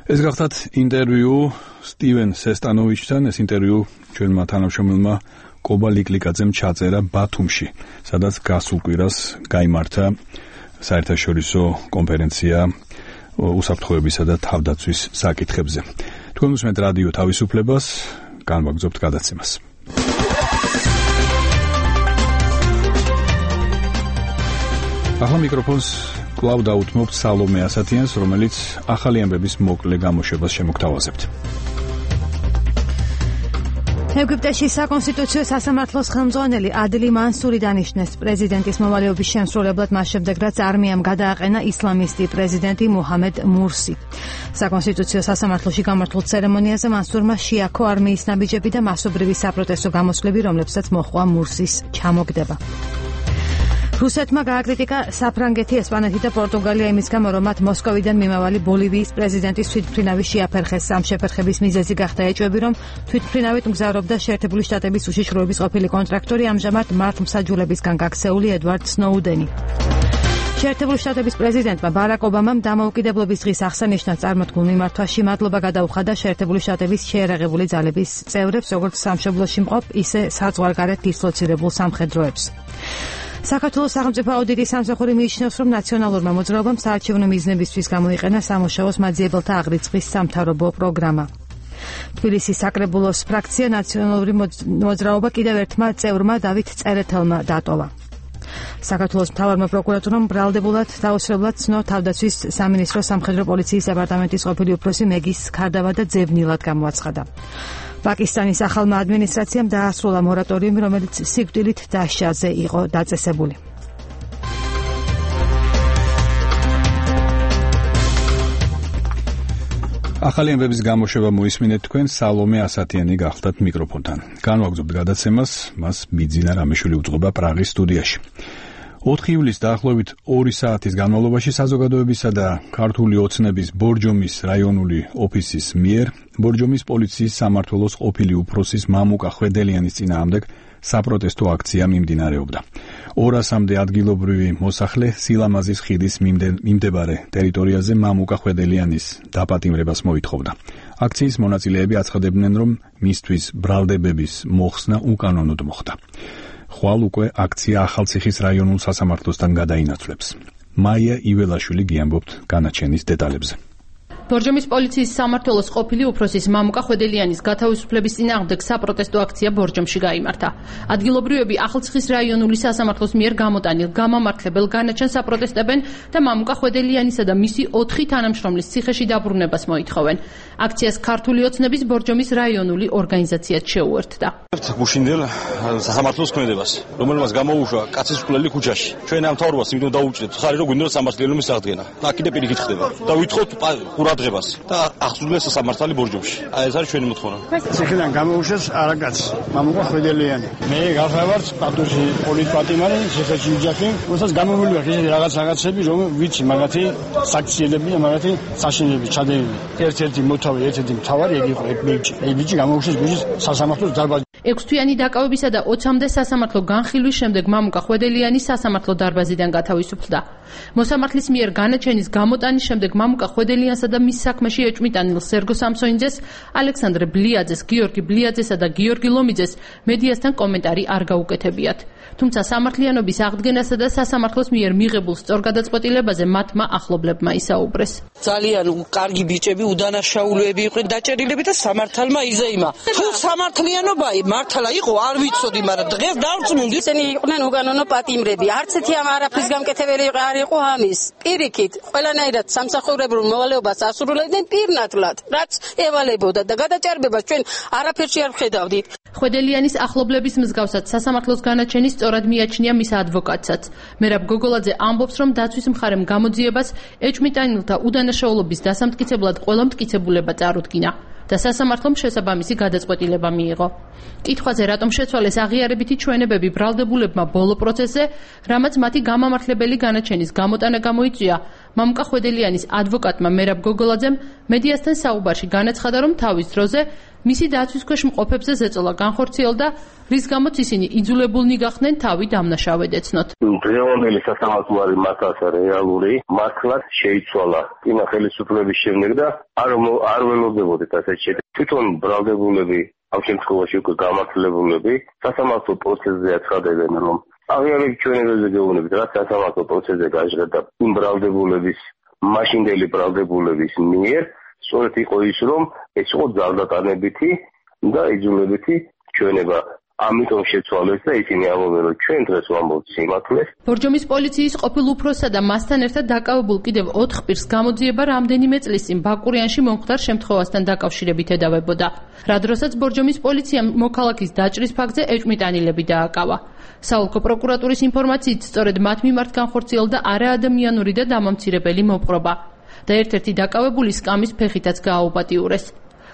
ეს გახდათ ინტერვიუ სტივენ სესტანოვიჩთან. ეს ინტერვიუ ჩვენმა თანამშრომელმა კობა ლიკლიკაძემ ჩაწერა ბათუმში, სადაც გასულ კვირას გაიმართა საერთაშორისო კონფერენცია უსაფრთხოებისა და თავდაცვის საკითხებზე. თქვენ უსმენთ რადიო თავისუფლებას, განვაგრძობთ გადაცემას. ახლა მიკროფონს კვლავ დაუთმობთ სალომე ასათიანს, რომელიც ახალი ამბების მოკლე გამოშვებას შემოგთავაზებთ. ეგვიპტეში საკონსტიტუციო სასამართლოს ხელმძღვანელი ადლი მანსური დანიშნეს პრეზიდენტის მოვალეობის შემსრულებლად მას შემდეგ, რაც არმიამ გადააყენა ისლამისტი პრეზიდენტი მუჰამედ მურსი. საკონსტიტუციო სასამართლოში გამართულ ცერემონიაზე მანსურმა შეაქო არმიის ნაბიჯები და მასობრივი საპროტესტო გამოსვლები, რომლებსაც მოჰყვა მურსის ჩამოგდება. რუსეთმა გააკრიტიკა საფრანგეთი, ესპანეთი და პორტუგალია იმის გამო, რომ მათ მოსკოვიდან მიმავალი ბოლივიის პრეზიდენტის თვითმფრინავი შეაფერხეს. ამ შეფერხების მიზეზი გახდა ეჭვები, რომ თვითმფრინავით მგზავრობდა შეერთებული შტატების უშიშროების ყოფილი კონტრაქტორი, ამჟამად მართლმსაჯულებისგან გაქცეული ედვარდ სნოუდენი. შეერთებული შტატების პრეზიდენტმა ბარაკ ობამამ დამოუკიდებლობის დღის აღსანიშნად წარმოთქმულ მიმართვაში მადლობა გადაუხადა შეერთებული შტატების შეერაღებული ძალების წევრებს, როგორც სამშობლოში მყოფ, ისე საზღვარგარეთ დისლოცირებულ სამხედროებს. საქართველოს სახელმწიფო აუდიტის სამსახური მიიჩნევს, რომ ნაციონალურმა მოძრაობამ საარჩევნო მიზნებისთვის გამოიყენა სამუშაოს მაძიებელთა აღრიცხვის სამთავრობო პროგრამა. თბილისის საკრებულოს ფრაქცია ნაციონალური მოძრაობა კიდევ ერთმა წევრმა დავით წერეთელმა დატოვა. საქართველოს მთავარმა პროკურატურამ ბრალდებულად დაუსრულებლად ცნო თავდაცვის სამინისტროს სამხედრო პოლიციის დეპარტამენტის ყოფილი უფროსი მეგის ქარდავა და ძებნილად გამოაცხადა. პაკისტანის ახალმა ადმინისტრაციამ დაასრულა მორატორიუმი, რომელიც სიკვდილით დასჯაზე იყო დაწესებული. ახალი ამბების გამოშვება მოისმინეთ თქვენ, სალომე ასათიანი გახლდათ მიკროფონთან. განვაგრძობთ გადაცემას, მას მიძინა რამიშვილი უძღვება პრაღის სტუდიაში. 4 ივლისს დაახლოებით 2 საათის განმავლობაში საზოგადოებისა და ქართული ოცნების ბორჯომის რაიონული ოფისის მიერ ბორჯომის პოლიციის სამმართველოს ყოფილი უფროსის მამუკა ხვედელიანის წინააღმდეგ საპროტესტო აქცია მიმდინარეობდა. 200-მდე ადგილობრივი მოსახლე სილამაზის ხიდის მიმდებარე ტერიტორიაზე მამუკა ხვედელიანის დაპატიმრებას მოითხოვდა. აქციის მონაწილეები აცხადებდნენ, რომ მისთვის ბრალდებების მოხსნა უკანონოდ მოხდა. ხვალ უკვე აქცია ახალციხის რაიონულ სასამართლოსთან გადაინაცვლებს. მაია იველაშვილი გიამბობთ განაჩენის დეტალებზე. ბორჯომის პოლიციის სამმართველოს ყოფილი უფროსის მამუკა ხვედელიანის გათავისუფლების წინააღმდეგ საპროტესტო აქცია ბორჯომში გაიმართა. ადგილობრივები ახალციხის რაიონული სასამართლოს მიერ გამოტანილ გამამართლებელ განაჩენს აპროტესტებენ და მამუკა ხვედელიანისა და მისი 4 თანამშრომლის ციხეში დაბრუნებას მოითხოვენ. აქციას ქართული ოცნების ბორჯომის რაიონული ორგანიზაციაც შეუერთდა. გუშინდელ სასამართლოს ქმედებას, რომელმაც გამოუშვა კაცისმხლელი ქუჩაში. ჩვენ ამ მთავრობას იმდენ დაუჭირებთ, ხარი რომ გვინდოდა სამართლიანობის აღდგენა. და კიდე პირიქით ხდება. და ვითხოვთ ყურადღებას და აღსრულეს სამართალი ბორჯომში. აი ეს არის ჩვენი მოთხოვნა. ციხიდან გამოუშვეს არაკაც, მამუკა ხვედელიანი. მე გავხავართ პატუში პოლიტპატიმარი, ციხეში ვიჯახი, როდესაც გამომივიდა ისეთი რაღაცები, რომ ვიცი მაგათი საქციელები და მაგათი საშინელები ჩადენილი. ერთ-ერთი მოთავე, ერთ-ერთი მთავარი ეგ იყო ეგ ბიჭი. ეგ ბიჭი გამოუშვეს გუჯის სასამართლოს დარბაზში. 6 თვიანი დაკავებისა და 20-მდე სასამართლო განხილვის შემდეგ მამუკა ხვედელიანი სასამართლო დარბაზიდან გათავისუფლდა. მოსამართლის მიერ განაჩენის გამოტანის შემდეგ მამუკა ხვედელიანსა და მის საქმეში ეჭვმიტანილ სერგო სამსონიძეს, ალექსანდრე ბლიაძეს, გიორგი ბლიაძესა და გიორგი ლომიძეს მედიასთან კომენტარი არ გაუკეთებიათ. თუმცა სამართლიანობის აღდგენასა და სასამართლოს მიერ მიღებულ სწორგადაწყვეტილებაზე მათმა ახლობლებმა ისაუბრეს. ძალიან კარგი ბიჭები, უდანაშაულები იყვნენ დაჭერილები და სამართალმა იზეიმა. თუ სამართლიანობა მართლა იყო, არ ვიცოდი, მაგრამ დღეს დავწმინდი. ისინი იყვნენ უკანონო პატიმრები. არც ერთი ამ არაფრის გამკეთებელი არ იყო ამის. პირიქით, ყველანაირად სამსახურებრივ მოვალეობას ასრულებდნენ პირნათლად, რაც ევალებოდა და გადაჭარბებას ჩვენ არაფერში არ ვხედავდით. ხვედელიანის ახლობლების მსგავსად სასამართლოს განაჩენის სწორად მიაჩნია მის ადვოკატსაც. მერაბ გოგოლაძე ამბობს, რომ დაცვის მხარემ გამოძიებას ეჭვმიტანილთა უდანაშაულობის დასამტკიცებლად ყველა მტკიცებულება წარუდგინა და სასამართლომ შესაბამისი გადაწყვეტილება მიიღო. კითხვაზე, რატომ შეცვალეს აღიარებითი ჩვენებები ბრალდებულებმა ბოლო პროცესზე, რამაც მათი გამამართლებელი განაჩენის გამოტანა გამოიწვია, მამუკა ხვედელიანის ადვოკატმა მერაბ გოგოლაძემ მედიასთან საუბარში განაცხადა, რომ თავის დროზე მისი დაცვის ქვეშ მყოფებზე ზეწოლა განხორციელდა, რის გამოც ისინი იძულებულნი გახდნენ თავი დამნაშავედ ეცნოთ. დღევანდელი სასამართლო არის მართლაც რეალური, მართლაც შეიცვალა წინა ხელისუფლების შემდეგ და არ ველოდებოდით ასეთ შედეგს. თვითონ ბრალდებულები, ამ შემთხვევაში უკვე გამართლებულები, სასამართლო პროცესზე აცხადებენ, რომ აღიარებით ჩვენებებზე გეუბნებით, რაც სასამართლო პროცესზე გაჟღერდა იმ ბრალდებულების, მაშინდელი ბრალდებულების მიერ, სწორედ იყო ის, რომ ეს იყო ძალდატანებითი და იძულებითი ჩვენება. ამიტომ შეცვალეს და ისინი ამბობენ, რომ ჩვენ დღეს ვამბობთ სიმართლეს. ბორჯომის პოლიციის ყოფილ უფროსსა და მასთან ერთად დაკავებულ კიდევ 4 პირს გამოძიება რამდენიმე წლის წინ ბაკურიანში მომხდარ შემთხვევასთან დაკავშირებით ედავებოდა. რა დროსაც ბორჯომის პოლიციამ მოქალაქის დაჭრის ფაქტზე ეჭვმიტანილები დააკავა. საოლქო პროკურატურის ინფორმაციით, სწორედ მათ მიმართ განხორციელდა არაადამიანური და დამამცირებელი მოპყრობა და ერთ-ერთი დაკავებული სკამის ფეხითაც გააუპატიურეს.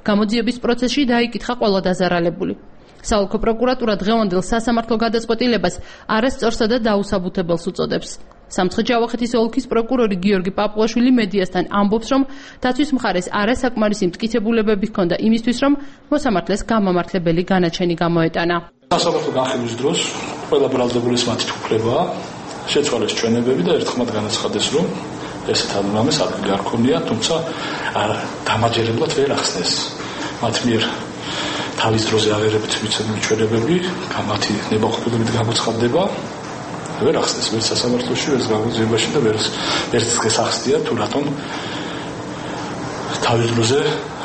გამოძიების პროცესში დაიკითხა ყველა დაზარალებული. საოლქო პროკურატურა დღევანდელ სასამართლო გადაწყვეტილებას არასწორსა და დაუსაბუთებელს უწოდებს. სამცხე-ჯავახეთის ოლქის პროკურორი გიორგი პაპუაშვილი მედიასთან ამბობს, რომ დაცვის მხარეს არასაკმარისი მტკიცებულებები ჰქონდა იმისთვის, რომ მოსამართლეს გამამართლებელი განაჩენი გამოეტანა. სასამართლო განხილვის დროს ყველა ბრალდებულის მათი უფლებაა შეცვალეს ჩვენებები და ერთხმად განაცხადეს, რომ ესეთ ადამიანებს ადგილი არ ქონია, თუმცა დამაჯერებლად ვერ ახსნეს მათ მიერ თავის დროზე აღერებით მიცემული ჩვენებები, მათი ნებაყოფლობით გამოცხადდება. ვერ ახსნეს ვერც სასამართლოში, ვერც გამოძიებაში და ვერც დღეს ახსნია თუ რატომ თავის დროზე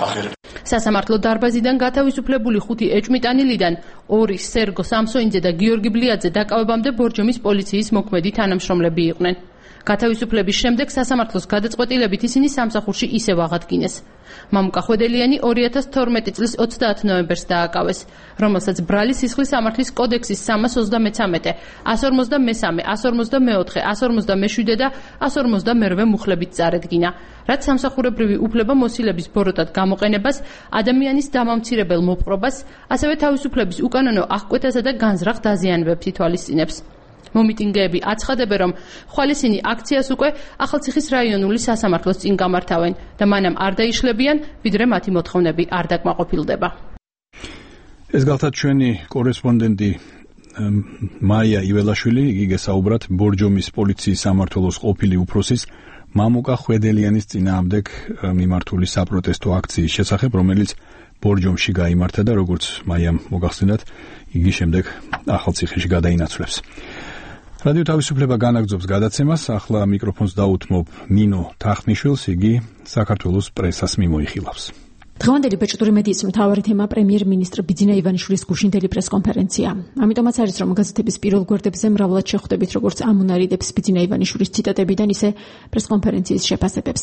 აღერებით. სასამართლო დარბაზიდან გათავისუფლებული 5 ეჭვმიტანილიდან 2 სერგო სამსოინძე და გიორგი ბლიაძე დაკავებამდე ბორჯომის პოლიციის მოქმედი თანამშრომლები იყვნენ. გათავისუფლების შემდეგ სასამართლოს გადაწყვეტილებით ისინი სამსახურში ისევ აღადგინეს. მამუკა ხვედელიანი 2012 წლის 30 ნოემბერს დააკავეს, რომელსაც ბრალი სისხლის სამართლის კოდექსის 333, 153, 154, 157 და 158 მუხლებით წარედგინა, რაც სამსახურებრივი უფლება მოსილების ბოროტად გამოყენებას, ადამიანის დამამცირებელ მოპყრობას, ასევე თავისუფლების უკანონო აღკვეთასა და განზრახ დაზიანებებს ითვალისწინებს. მომიტინგეები აცხადებენ, რომ ხვალისინი აქციას უკვე ახალციხის რაიონული სასამართლოს წინ გამართავენ და მანამ არ დაიშლებიან, ვიდრე მათი მოთხოვნები არ დაკმაყოფილდება. ეს გახლავთ ჩვენი კორესპონდენტი მაია იველაშვილი, იგი გესაუბრათ ბორჯომის პოლიციის სამმართველოს ყოფილი უფროსის მამუკა ხვედელიანის წინააღმდეგ მიმართული საპროტესტო აქციის შესახებ, რომელიც ბორჯომში გაიმართა და როგორც მაიამ მოგახსენათ, იგი შემდეგ ახალციხეში გადაინაცვლებს. რადიო თავისუფლება განაგრძობს გადაცემას, ახლა მიკროფონს დაუთმობ ნინო თახნიშვილს, იგი საქართველოს პრესას მიმოიხილავს. დღევანდელი ბეჭდური მედიის მთავარი თემა პრემიერ-მინისტრ ბიძინა ივანიშვილის გუშინდელი პრესკონფერენცია. ამიტომაც არის, რომ გაზეთების პირველ გვერდებზე მრავლად შეხვდებით, როგორც ამონარიდებს ბიძინა ივანიშვილის ციტატებიდან, ისე პრესკონფერენციის შეფასებებს.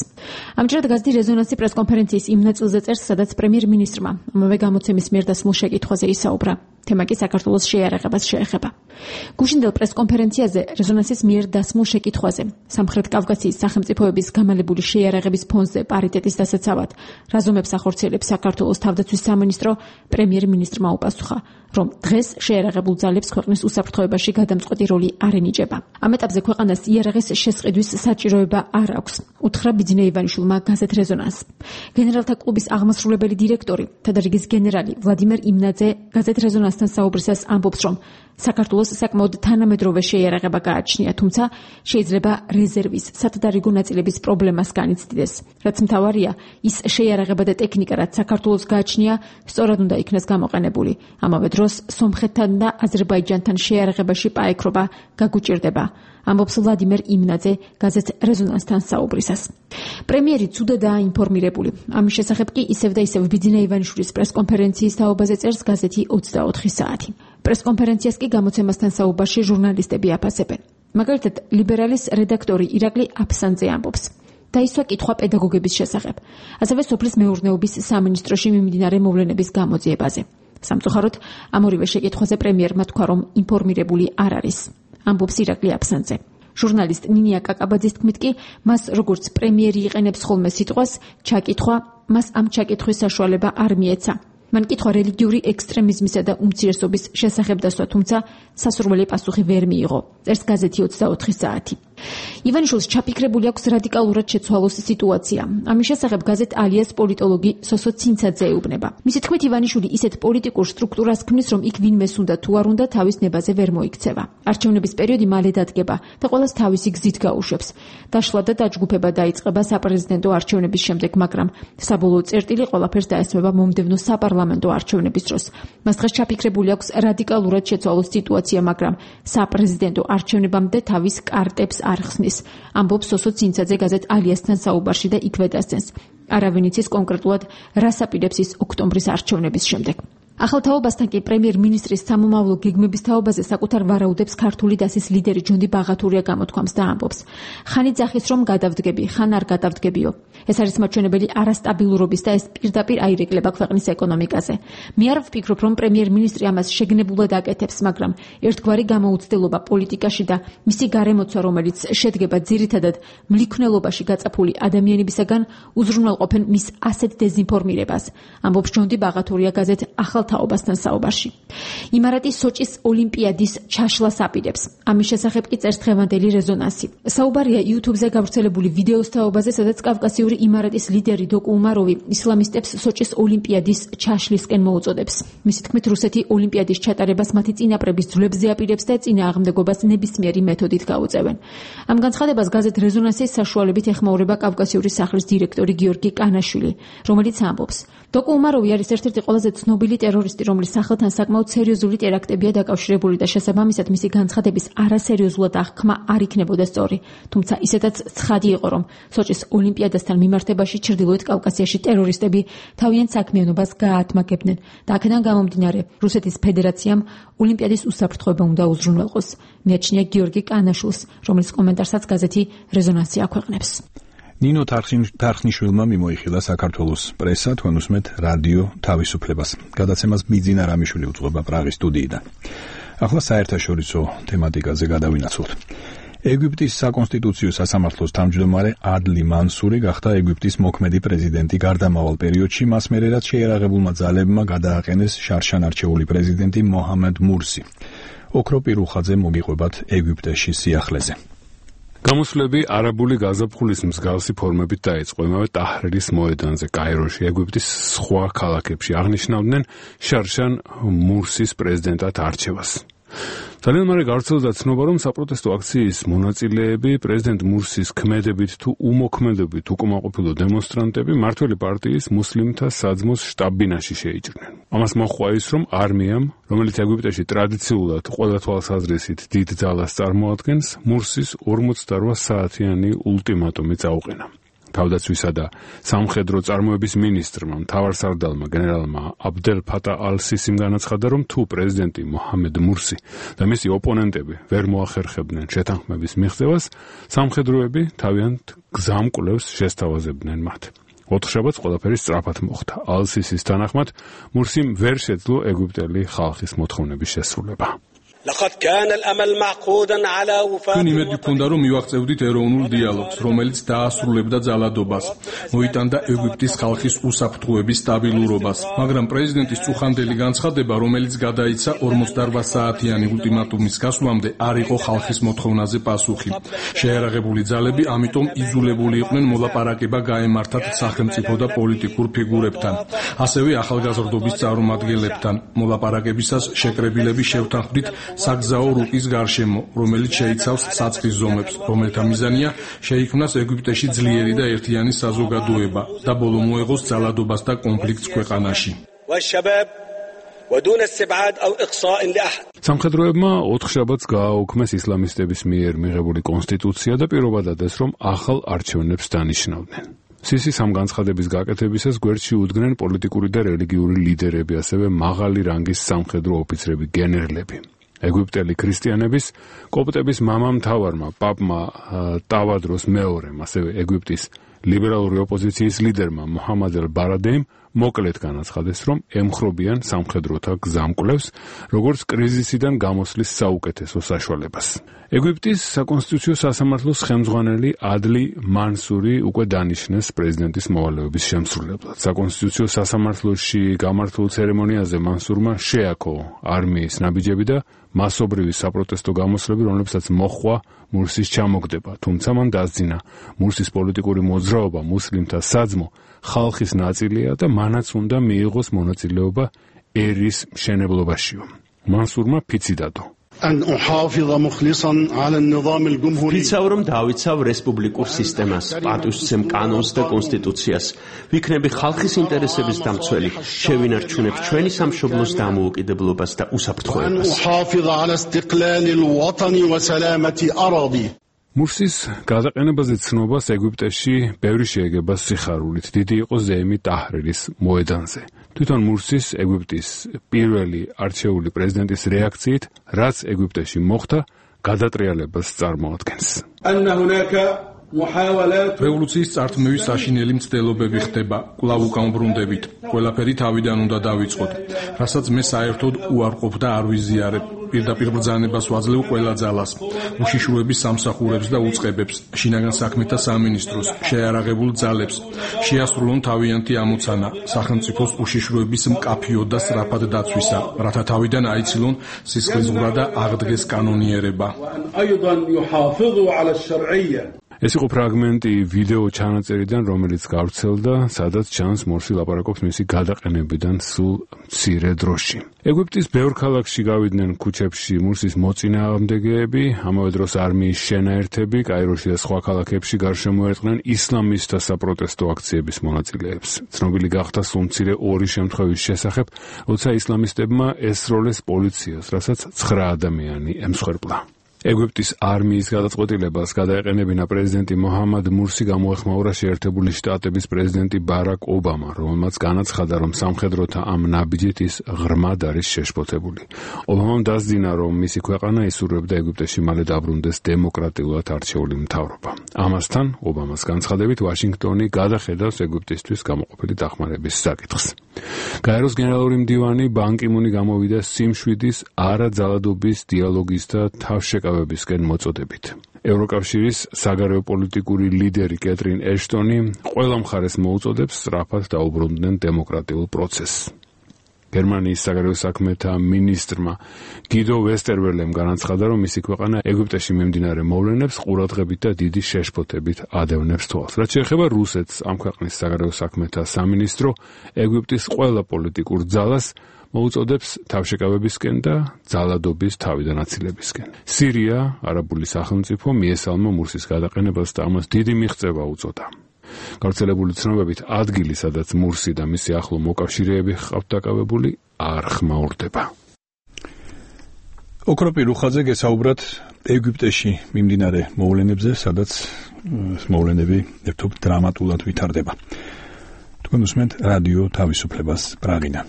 ამჯერად გაზეთი რეზონანსი პრესკონფერენციის იმ ნაწილზე წერს, სადაც პრემიერ-მინისტრმა ამავე გამოცემის მიერ დასმულ შეკითხვაზე ისაუბრა. თემა კი საქართველოს შეიარაღებას შეეხება. გუშინდელ პრესკონფერენციაზე რეზონანსის მიერ დასმულ შეკითხვაზე სამხრეთ კავკასიის სახელმწიფოების გამალებული შეიარაღების ფონზე პარიტეტის დასაცავად რაზომებს ახორციელებს საქართველოს თავდაცვის სამინისტრო, პრემიერ-მინისტრმა უპასუხა, რომ დღეს შეიარაღებულ ძალებს ქვეყნის უსაფრთხოებაში გადამწყვეტი როლი არ ენიჭება. ამ ეტაპზე ქვეყანას იარაღის შესყიდვის საჭიროება არ აქვს, უთხრა ბიძინა ივანიშვილმა გაზეთ რეზონანს. გენერალთა კლუბის აღმასრულებელი დირექტორი, თადარიგის გენერალი ვლადიმერ იმნაძე გაზეთ რეზონანსთან საუბრისას ამბობს, რომ საქართველოს საკმაოდ თანამედროვე შეიარაღება გააჩნია, თუმცა შეიძლება რეზერვის სათადარიგო ნაწილების პრობლემას განიცდიდეს. რაც მთავარია, ის შეიარაღება და ტექნიკა, რაც საქართველოს გააჩნია, სწორად უნდა იქნას გამოყენებული. ამავე დროს სომხეთთან და აზერბაიჯანთან შეიარაღებაში პაექრობა გაგუჭირდება. ამბობს ვლადიმერ იმნაძე გაზეთ რეზონანსთან საუბრისას. პრემიერი ცუდადაა ინფორმირებული. ამის შესახებ კი ისევ და ისევ ბიძინა ივანიშვილის პრესკონფერენციის თაობაზე წერს გაზეთი 24 საათი. პრესკონფერენციას კი გამოცემასთან საუბარში ჟურნალისტები აფასებენ. მაგალითად, ლიბერალის რედაქტორი ირაკლი აფსანძე ამბობს. დაისვა კითხვა პედაგოგების შესახებ, ასევე სოფლის მეურნეობის სამინისტროში მიმდინარე მოვლენების გამოძიებაზე. სამწუხაროდ, ამ ორივე შეკითხვაზე პრემიერმა თქვა, რომ ინფორმირებული არ არის. ამბობს ირაკლი აფსანძე. ჟურნალისტ ნინია კაკაბაძის თქმით კი, მას როგორც პრემიერი იყენებს ხოლმე სიტყვას ჩაკითხვა, მას ამ ჩაკითხვის საშუალება არ მიეცა. მან კითხვა რელიგიური ექსტრემიზმისა და უმცირესობის შესახებ დასვა, თუმცა სასურველი პასუხი ვერ მიიღო. წერს გაზეთი 24 საათი. ივანიშვილს ჩაფიქრებული აქვს რადიკალურად შეცვალოს სიტუაცია. ამის შესახებ გაზეთ ალიას პოლიტოლოგი სოსო ცინცაძე ეუბნება. მისი თქმით, ივანიშვილი ისეთ პოლიტიკურ სტრუქტურას ქმნის, რომ იქ ვინმეს უნდა თუ არ უნდა თავის ნებაზე ვერ მოიქცევა. არჩევნების პერიოდი მალე დადგება და ყველას თავისი გზით გაუშვებს. დაშლა და დაჯგუფება დაიწყება საპრეზიდენტო არჩევნების შემდეგ, მაგრამ საბოლოო წერტილი ყველაფერს დაესწრება მომდევნო საპარლამენტო არჩევნების დროს. მას დღეს ჩაფიქრებული აქვს რადიკალურად შეცვალოს სიტუაცია, მაგრამ საპრეზიდენტო არჩევნებამდე თავის კარტებს არ ხსნის. ამბობს სოსო ცინცაძე გაზეთ ალიასთან საუბარში და იქვე დასცენს. არავინ იცის კონკრეტულად რას აპირებს ის ოქტომბრის არჩევნების შემდეგ. ახალ თაობასთან კი პრემიერ-მინისტრის სამომავლო გეგმების თაობაზე საკუთარ ვარაუდებს ქართული დასის ლიდერი ჯონდი ბაღათურია გამოთქვამს და ამბობს. ხანი ძახის რომ გადავდგები, ხან არ გადავდგებიო. ეს არის მაჩვენებელი არასტაბილურობის და ეს პირდაპირ აირეკლება ქვეყნის ეკონომიკაზე. მე არ ვფიქრობ, რომ პრემიერ-მინისტრი ამას შეგნებულად აკეთებს, მაგრამ ერთგვარი გამოუცდელობა პოლიტიკაში და მისი გარემოცვა, რომელიც შედგება ძირითადად მლიქნელობაში გაწაფული ადამიანებისაგან, უზრუნველყოფენ მის ასეთ დეზინფორმირებას. ამბობს ჯონდი ბაღათურია გაზეთ ახალ ახალ თაობასთან საუბარში. იმარატი სოჭის ოლიმპიადის ჩაშლას აპირებს. ამის შესახებ კი წერს დღევანდელი რეზონანსი. საუბარია YouTube-ზე გავრცელებული ვიდეოს თაობაზე, სადაც კავკასიური იმარატის ლიდერი დოკუ უმაროვი ისლამისტებს სოჭის ოლიმპიადის ჩაშლისკენ მოუწოდებს. მისი თქმით, რუსეთი ოლიმპიადის ჩატარებას მათი წინაპრების ძვლებზე აპირებს და წინააღმდეგობას ნებისმიერი მეთოდით გაუწევენ. ამ განცხადებას გაზეთ რეზონანსის საშუალებით ეხმაურება კავკასიური სახლის დირექტორი გიორგი კანაშვილი, რომელიც ამბობს: დოკუ უმაროვი არის ერთ-ერთი ყველაზე ცნობილი ტერორისტი, რომლის სახელთან საკმაოდ სერიოზული ტერაქტებია დაკავშირებული და შესაბამისად მისი განცხადების არასერიოზულად აღქმა არ იქნებოდა სწორი. თუმცა ისედაც ცხადი იყო, რომ სოჭის ოლიმპიადასთან მიმართებაში ჩრდილოეთ კავკასიაში ტერორისტები თავიანთ საქმიანობას გაათმაგებდნენ და აქედან გამომდინარე რუსეთის ფედერაციამ ოლიმპიადის უსაფრთხოება უნდა უზრუნველყოს. მიაჩნია გიორგი კანაშვილს, რომლის კომენტარსაც გაზეთი რეზონანსი აქვეყნებს. ნინო თარხნიშვილმა მიმოიხილა საქართველოს პრესა, თქვენ უსმენთ რადიო თავისუფლებას. გადაცემას ბიძინა რამიშვილი უძღვება პრაღის სტუდიიდან. ახლა საერთაშორისო თემატიკაზე გადავინაცვლოთ. ეგვიპტის საკონსტიტუციო სასამართლოს თავმჯდომარე ადლი მანსური გახდა ეგვიპტის მოქმედი პრეზიდენტი გარდამავალ პერიოდში, მას მერე რაც შეერაღებულმა ძალებმა გადააყენეს შარშან არჩეული პრეზიდენტი მოჰამედ მურსი. ოქრო პირუხაძე მოგიყვებათ ეგვიპტეში სიახლეზე. გამოსვლები არაბული გაზაფხულის მსგავსი ფორმებით დაიწყო იმავე ტაჰრირის მოედანზე კაიროში, ეგვიპტის სხვა ქალაქებში აღნიშნავდნენ შარშან მურსის პრეზიდენტად არჩევას. ძალიან მალე გავრცელდა ცნობა, რომ საპროტესტო აქციის მონაწილეები პრეზიდენტ მურსის ქმედებით თუ უმოქმედებით უკმაყოფილო დემონსტრანტები მმართველი პარტიის მუსლიმთა საძმოს შტაბ-ბინაში შეიჭრნენ. ამას მოჰყვა ის, რომ არმიამ, რომელიც ეგვიპტეში ტრადიციულად ყველა თვალსაზრისით დიდ ძალას წარმოადგენს, მურსის 48 საათიანი ულტიმატუმი წაუყენა. თავდაცვისა და სამხედრო წარმოების მინისტრმა, მთავარსარდალმა გენერალმა აბდელ ფატა ალ-სისიმ განაცხადა, რომ თუ პრეზიდენტი მოჰამედ მურსი და მისი ოპონენტები ვერ მოახერხებდნენ შეთანხმების მიღწევას, სამხედროები თავიანთ გზამკვლევს შესთავაზებდნენ მათ. ოთხშაბათს ყველაფერი სწრაფად მოხდა. ალ-სისის თანახმად, მურსიმ ვერ შეძლო ეგვიპტელი ხალხის მოთხოვნების შესრულება. ჩვენ იმედი გვქონდა, რომ მივაღწევდით ეროვნულ დიალოგს, რომელიც დაასრულებდა ძალადობას, მოიტანდა ეგვიპტის ხალხის უსაფრთხოების სტაბილურობას, მაგრამ პრეზიდენტის წუხანდელი განცხადება, რომელიც გადაიცა 48 საათიანი ულტიმატუმის გასვლამდე, არ იყო ხალხის მოთხოვნაზე პასუხი. შეერაღებული ძალები ამიტომ იძულებული იყვნენ მოლაპარაკება გაემართათ სახელმწიფო და პოლიტიკურ ფიგურებთან, ასევე ახალგაზრდობის წარმომადგენლებთან. მოლაპარაკებისას შეკრებილები შევთანხმდით საგზაო რუკის გარშემო, რომელიც შეიცავს საწყის ზომებს, რომელთა მიზანია შეიქმნას ეგვიპტეში ძლიერი და ერთიანი საზოგადოება და ბოლო მოეღოს ძალადობას და კონფლიქტს ქვეყანაში. სამხედროებმა ოთხშაბათს გააუქმეს ისლამისტების მიერ მიღებული კონსტიტუცია და პირობა დადეს, რომ ახალ არჩევნებს დანიშნავდნენ. სისის ამ განცხადების გაკეთებისას გვერდში უდგნენ პოლიტიკური და რელიგიური ლიდერები, ასევე მაღალი რანგის სამხედრო ოფიცრები, გენერლები. ეგვიპტელი ქრისტიანების, კოპტების მამამთავარმა, პაპმა ტავადროს მეორემ, ასევე ეგვიპტის ლიბერალური ოპოზიციის ლიდერმა მოჰამად ელ-ბარადეიმ მოკლედ განაცხადეს, რომ ემხრობიან სამხედროთა გზამკვლევს, როგორც კრიზისიდან გამოსვლის საუკეთესო საშუალებას. ეგვიპტის საკონსტიტუციო სასამართლოს ხელმძღვანელი ადლი მანსური უკვე დანიშნეს პრეზიდენტის მოვალეობის შემსრულებლად. საკონსტიტუციო სასამართლოში გამართულ ცერემონიაზე მანსურმა შეაქო არმიის ნაბიჯები და მასობრივი საპროტესტო გამოსვლები, რომლებსაც მოჰყვა მურსის ჩამოგდება, თუმცა მან დასძინა მურსის პოლიტიკური მოძრაობა, მუსლიმთა საძმო ხალხის ნაწილია და მანაც უნდა მიიღოს მონაწილეობა ერის მშენებლობაშიო. მანსურმა ფიცი დადო. ვიცავ, რომ დავიცავ რესპუბლიკურ სისტემას, პატივისცემ კანონს და კონსტიტუციას. ვიქნები ხალხის ინტერესების დამცველი, შევინარჩუნებ ჩვენი სამშობლოს დამოუკიდებლობას და უსაფრთხოებას. მურსის გადაყენებაზე ცნობას ეგვიპტეში ბევრი შეეგება სიხარულით. დიდი იყო ზეიმი ტაჰრირის მოედანზე. თვითონ მურსის ეგვიპტის პირველი არჩეული პრეზიდენტის რეაქციით, რაც ეგვიპტეში მოხდა, გადატრიალებას წარმოადგენს. რევოლუციის წართმევის საშინელი მცდელობები ხდება, კვლავ უკამბრუნდებით. ყველაფერი თავიდან უნდა დავიწყოთ, რასაც მე საერთოდ უარყოფ და არ ვიზიარებ. პირდაპირ ბრძანებას ვაძლევ ყველა ძალას, უშიშროების სამსახურებს და უწყებებს, შინაგან საქმეთა სამინისტროს, შეიარაღებულ ძალებს, შეასრულონ თავიანთი ამოცანა სახელმწიფოს უშიშროების მკაფიო და სწრაფად დაცვისა, რათა თავიდან აიცილონ სისხლისღვრა და აღდგეს კანონიერება. ეს იყო ფრაგმენტი ვიდეო ჩანაწერიდან, რომელიც გავრცელდა, სადაც ჩანს მორსი ლაპარაკობს მისი გადაყენებიდან სულ მცირე დროში. ეგვიპტის ბევრ ქალაქში გავიდნენ ქუჩებში მურსის მოწინააღმდეგეები, ამავე დროს არმიის შენაერთები, კაიროში და სხვა ქალაქებში გარშემოერტყნენ ისლამისტთა საპროტესტო აქციების მონაწილეებს. ცნობილი გახდა სულ მცირე 2 შემთხვევის შესახებ, როცა ისლამისტებმა ესროლეს პოლიციას, რასაც 9 ადამიანი ემსხვერპლა. ეგვიპტის არმიის გადაწყვეტილებას გადაეყენებინა პრეზიდენტი მოჰამად მურსი გამოეხმაურა შეერთებული შტატების პრეზიდენტი ბარაკ ობამა, რომელმაც განაცხადა, რომ სამხედროთა ამ ნაბიჯით ის ღრმად არის შეშფოთებული. ობამამ დასძინა, რომ მისი ქვეყანა ისურვებდა ეგვიპტეში მალე დაბრუნდეს დემოკრატიულად არჩეული მთავრობა. ამასთან, ობამას განცხადებით, ვაშინგტონი გადახედავს ეგვიპტისთვის გამოყოფილი დახმარების საკითხს. გაეროს გენერალური მდივანი ბან კი მუნი გამოვიდა სიმშვიდის, არაძალადობის დიალოგის და თავშეკავებისკენ მოწოდებით. ევროკავშირის საგარეო პოლიტიკური ლიდერი კეტრინ ეშტონი ყველა მხარეს მოუწოდებს სწრაფად დაუბრუნდნენ დემოკრატიულ პროცესს. გერმანიის საგარეო საქმეთა მინისტრმა გიდო ვესტერველემ განაცხადა, რომ მისი ქვეყანა ეგვიპტეში მიმდინარე მოვლენებს ყურადღებით და დიდი შეშფოთებით ადევნებს თვალს. რაც შეეხება რუსეთს, ამ ქვეყნის საგარეო საქმეთა სამინისტრო ეგვიპტის ყველა პოლიტიკურ ძალას მოუწოდებს თავშეკავებისკენ და ძალადობის თავიდან აცილებისკენ. სირია, არაბული სახელმწიფო მიესალმა მურსის გადაყენებას და ამას დიდი მიღწევა უწოდა. გავრცელებული ცნობებით ადგილი, სადაც მურსი და მისი ახლო მოკავშირეები ჰყავთ დაკავებული, არ ხმაურდება. ოქროპი რუხაძე გესაუბრათ ეგვიპტეში მიმდინარე მოვლენებზე, სადაც მოვლენები ერთობ დრამატულად ვითარდება. თქვენ უსმენთ რადიო თავისუფლებას პრაღინა.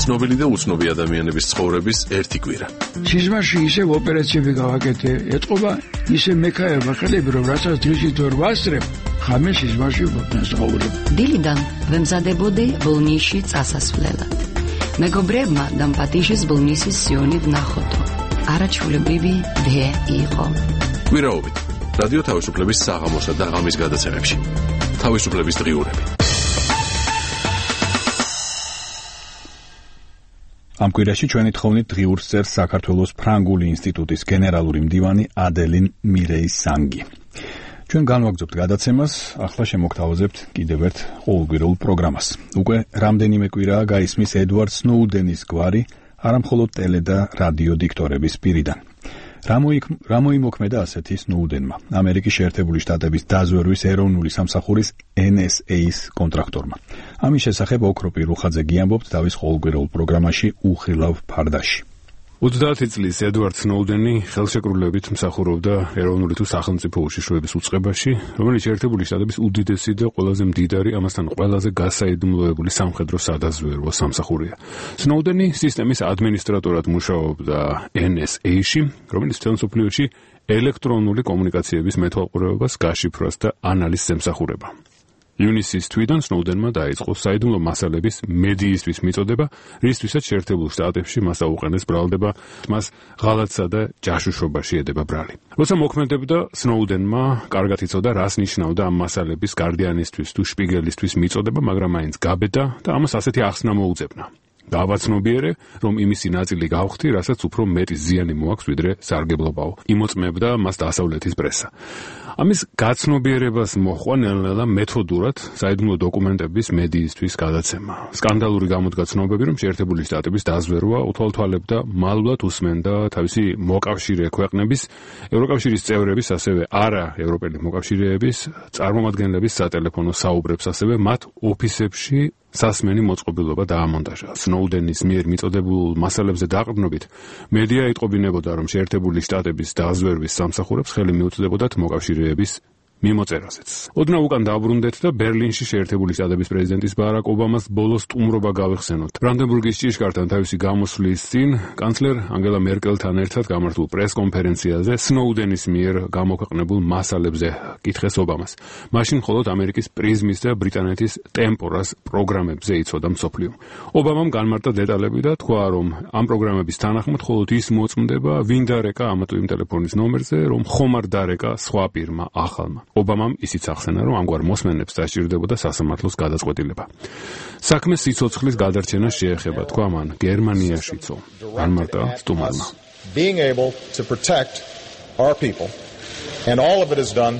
ცნობილი და უცნობი ადამიანების ცხოვრების ერთი კვირა. სიზმარში ისევ ოპერაციები გავაკეთე, ეთყობა ისე მექაება ხელები, რომ რასაც დღისით ვერ ვასწრებ, ხამე სიზმარში ვცხოვრობ. დილიდან ვემზადებოდი ბოლნისში წასასვლელად. მეგობრებმა დამპატიჟეს ბოლნისის სიონი ვნახოთო. არაჩვეულებრივი დე იყო. კვირაობით რადიო თავისუფლების საღამოსა და ღამის გადაცემებში. თავისუფლების დღიურები. ამ კვირაში ჩვენი თხოვნით დღიურს წერს საქართველოს ფრანგული ინსტიტუტის გენერალური მდივანი ადელინ მირეი-სანგი. ჩვენ განვაგრძობთ გადაცემას, ახლა შემოგთავაზებთ კიდევ ერთ ყოველკვირეულ პროგრამას. უკვე რამდენიმე კვირაა გაისმის ედვარდ სნოუდენის გვარი, არამხოლოდ ტელე და რადიო დიქტორების პირიდან. რა მოიმოქმედა ასეთი სნოუდენმა, ამერიკის შეერთებული შტატების დაზვერვის ეროვნული სამსახურის NSA-ის კონტრაქტორმა. ამის შესახებ ოქროპი რუხაძე გიამბობთ თავის ყოველკვირეულ პროგრამაში უხილავ ფარდაში. 30 წლის ედვარდ სნოუდენი ხელშეკრულებით მსახურობდა ეროვნული თუ სახელმწიფო უშიშროების უწყებაში, რომელიც შეერთებული შტატების უდიდესი და ყველაზე მდიდარი, ამასთან ყველაზე გასაიდუმლოებული სამხედრო სადაზვერვო სამსახურია. სნოუდენი სისტემის ადმინისტრატორად მუშაობდა NSA-ში, რომელიც მთელ მსოფლიოში ელექტრონული კომუნიკაციების მეთვალყურეობას, გაშიფრვას და ანალიზს ემსახურება. ივნისის თვიდან სნოუდენმა დაიწყო საიდუმლო მასალების მედიისთვის მიწოდება, რისთვისაც შეერთებულ შტატებში მას აუყენეს ბრალდება, მას ღალატსა და ჯაშუშობაში ედება ბრალი. როცა მოქმედებდა, სნოუდენმა კარგად იცოდა, რას ნიშნავდა ამ მასალების გარდიანისთვის თუ შპიგელისთვის მიწოდება, მაგრამ მაინც გაბედა და ამას ასეთი ახსნა მოუძებნა. დავაცნობიერე, რომ იმისი ნაწილი გავხდი, რასაც უფრო მეტი ზიანი მოაქვს, ვიდრე სარგებლობაო. იმოწმებდა მას დასავლეთის პრესა. ამის გაცნობიერებას მოჰყვა ნელ-ნელა მეთოდურად საიდუმლო დოკუმენტების მედიისთვის გადაცემა. სკანდალური გამოდგა ცნობები, რომ შეერთებული შტატების დაზვერვა უთვალთვალებდა მალულად უსმენდა თავისი მოკავშირე ქვეყნების, ევროკავშირის წევრების, ასევე არა ევროპელი მოკავშირეების წარმომადგენლების სატელეფონო საუბრებს, ასევე მათ ოფისებში სასმენი მოწყობილობა დაამონტაჟა. სნოუდენის მიერ მიწოდებულ მასალებზე დაყრდნობით, მედია იტყობინებოდა, რომ შეერთებული შტატების დაზვერვის სამსახურებს ხელი მიუწვდებოდათ მოკავშირეების მიმოწერაზეც. ოდნავ უკან დაბრუნდეთ და ბერლინში შეერთებული შტატების პრეზიდენტის ბარაკ ობამას ბოლოს სტუმრობა გავიხსენოთ. ბრანდენბურგის ჭიშკართან თავისი გამოსვლის წინ კანცლერ ანგელა მერკელთან ერთად გამართულ პრესკონფერენციაზე სნოუდენის მიერ გამოქვეყნებულ მასალებზე კითხეს ობამას. მაშინ მხოლოდ ამერიკის პრიზმის და ბრიტანეთის ტემპორას პროგრამებზე იცოდა მსოფლიო. ობამამ განმარტა დეტალები და თქვა, რომ ამ პროგრამების თანახმად მხოლოდ ის მოწმდება, ვინ დარეკა ამათუ იმ ტელეფონის ნომერზე, რომ ხომ არ დარეკა სხვა პირმა ახალმა. ობამამ ისიც ახსენა, რომ ამგვარ მოსმენებს დასჭირდებოდა სასამართლოს გადაწყვეტილება. საქმე სიცოცხლის გადარჩენას შეეხება, თქვა მან, გერმანიაშიცო. განმარტა სტუმარმა. Being able to protect our people and all of it is done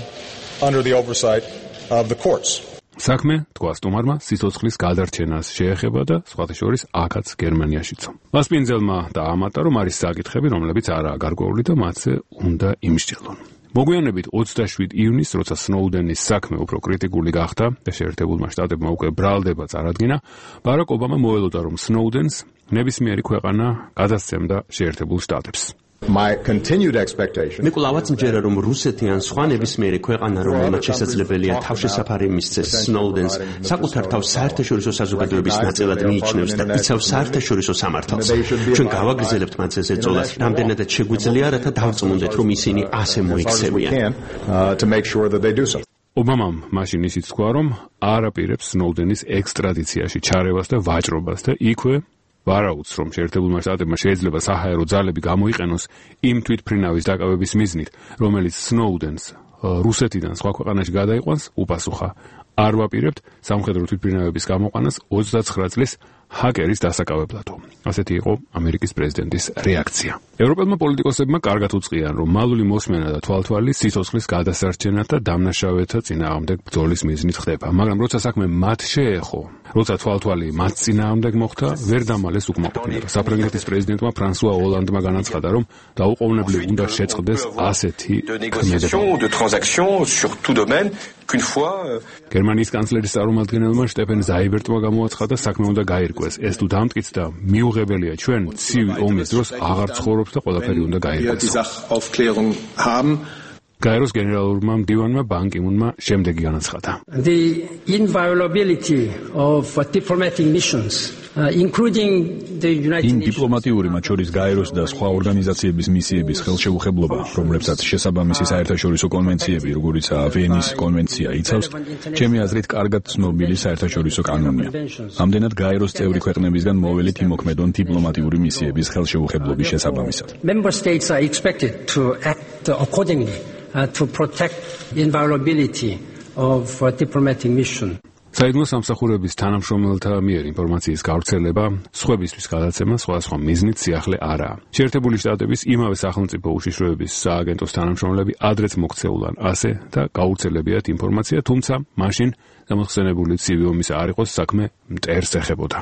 under the oversight of the courts. საქმე, თქვა სტუმარმა, სიცოცხლის გადარჩენას შეეხება და სხვათა შორის აქაც გერმანიაშიცო. მასპინძელმა დაამატა, რომ არის საკითხები, რომლებიც არაა გარკვეული და მათზე უნდა იმსჯელონ. მოგვიანებით 27 ივნისს, როცა სნოუდენის საქმე უფრო კრიტიკული გახდა და შეერთებულმა შტატებმა უკვე ბრალდება წარადგინა, ბარაკ ობამა მოელოდა, რომ სნოუდენს ნებისმიერი ქვეყანა გადასცემდა შეერთებულ შტატებს. My continued expectation. მე კვლავაც მჯერა, რომ რუსეთი ან სხვა ნებისმიერი ქვეყანა, რომელმაც შესაძლებელია თავშესაფარი მისცეს სნოუდენს, საკუთარ თავს საერთაშორისო საზოგადოების ნაწილად მიიჩნევს და იცავს საერთაშორისო სამართალს. ჩვენ გავაგრძელებთ მათზე ზეწოლას, რამდენადაც შეგვიძლია, რათა დავწმუნდეთ, რომ ისინი ასე მოიქცევიან. ობამამ მაშინ ისიც თქვა, რომ არ აპირებს სნოუდენის ექსტრადიციაში ჩარევას და ვაჭრობას და იქვე ვარაუდს, რომ შეერთებულმა შტატებმა შეიძლება საჰაერო ძალები გამოიყენოს იმ თვითმფრინავის დაკავების მიზნით, რომელიც სნოუდენს რუსეთიდან სხვა ქვეყანაში გადაიყვანს, უპასუხა: არ ვაპირებთ სამხედრო თვითმფრინავების გამოყვანას 29 წლის ჰაკერის დასაკავებლადო. ასეთი იყო ამერიკის პრეზიდენტის რეაქცია. ევროპელმა პოლიტიკოსებმა კარგად უწყიან, რომ მალული მოსმენა და თვალთვალი სიცოცხლის გადასარჩენად და დამნაშავეთა წინააღმდეგ ბრძოლის მიზნით ხდება, მაგრამ როცა საქმე მათ შეეხო, როცა თვალთვალი მათ წინააღმდეგ მოხდა, ვერ დამალეს უკმაყოფილება. საფრანგეთის პრეზიდენტმა ფრანსუა ოლანდმა განაცხადა, რომ დაუყოვნებლივ უნდა შეწყდეს ასეთი გერმანიის კანცლერის წარმომადგენელმა შტეფენ ზაიბერტმა გამოაცხადა, საქმე უნდა გაირკვეს. ეს თუ დამტკიცდა, მიუღებელია, ჩვენ ცივი ომის დროს აღარ ცხოვრობთ და ყველაფერი უნდა გაირკვეს. გაეროს გენერალურმა მდივანმა ბან კი მუნმა შემდეგი განაცხადა. The inviolability of diplomatic missions including the United Nations. დიპლომატიური, მათ შორის გაეროს და სხვა ორგანიზაციების მისიების ხელშეუხებლობა, რომლებსაც შესაბამისი საერთაშორისო კონვენციები, როგორიცაა ვენის კონვენცია იცავს, ჩემი აზრით კარგად ცნობილი საერთაშორისო კანონია. ამდენად გაეროს წევრი ქვეყნებისგან მოველით იმოქმედონ დიპლომატიური მისიების ხელშეუხებლობის შესაბამისად. Member states are expected to act accordingly to protect inviolability of diplomatic mission. საიდუმლო სამსახურების თანამშრომელთა მიერ ინფორმაციის გავრცელება, სხვებისთვის გადაცემა სხვადასხვა მიზნით სიახლე არაა. შეერთებული შტატების იმავე სახელმწიფო უშიშროების სააგენტოს თანამშრომლები ადრეც მოქცეულან ასე და გავრცელებიათ ინფორმაცია, თუმცა მაშინ გამოხსენებული ცივი ომის არ იყოს, საქმე მტერს ეხებოდა.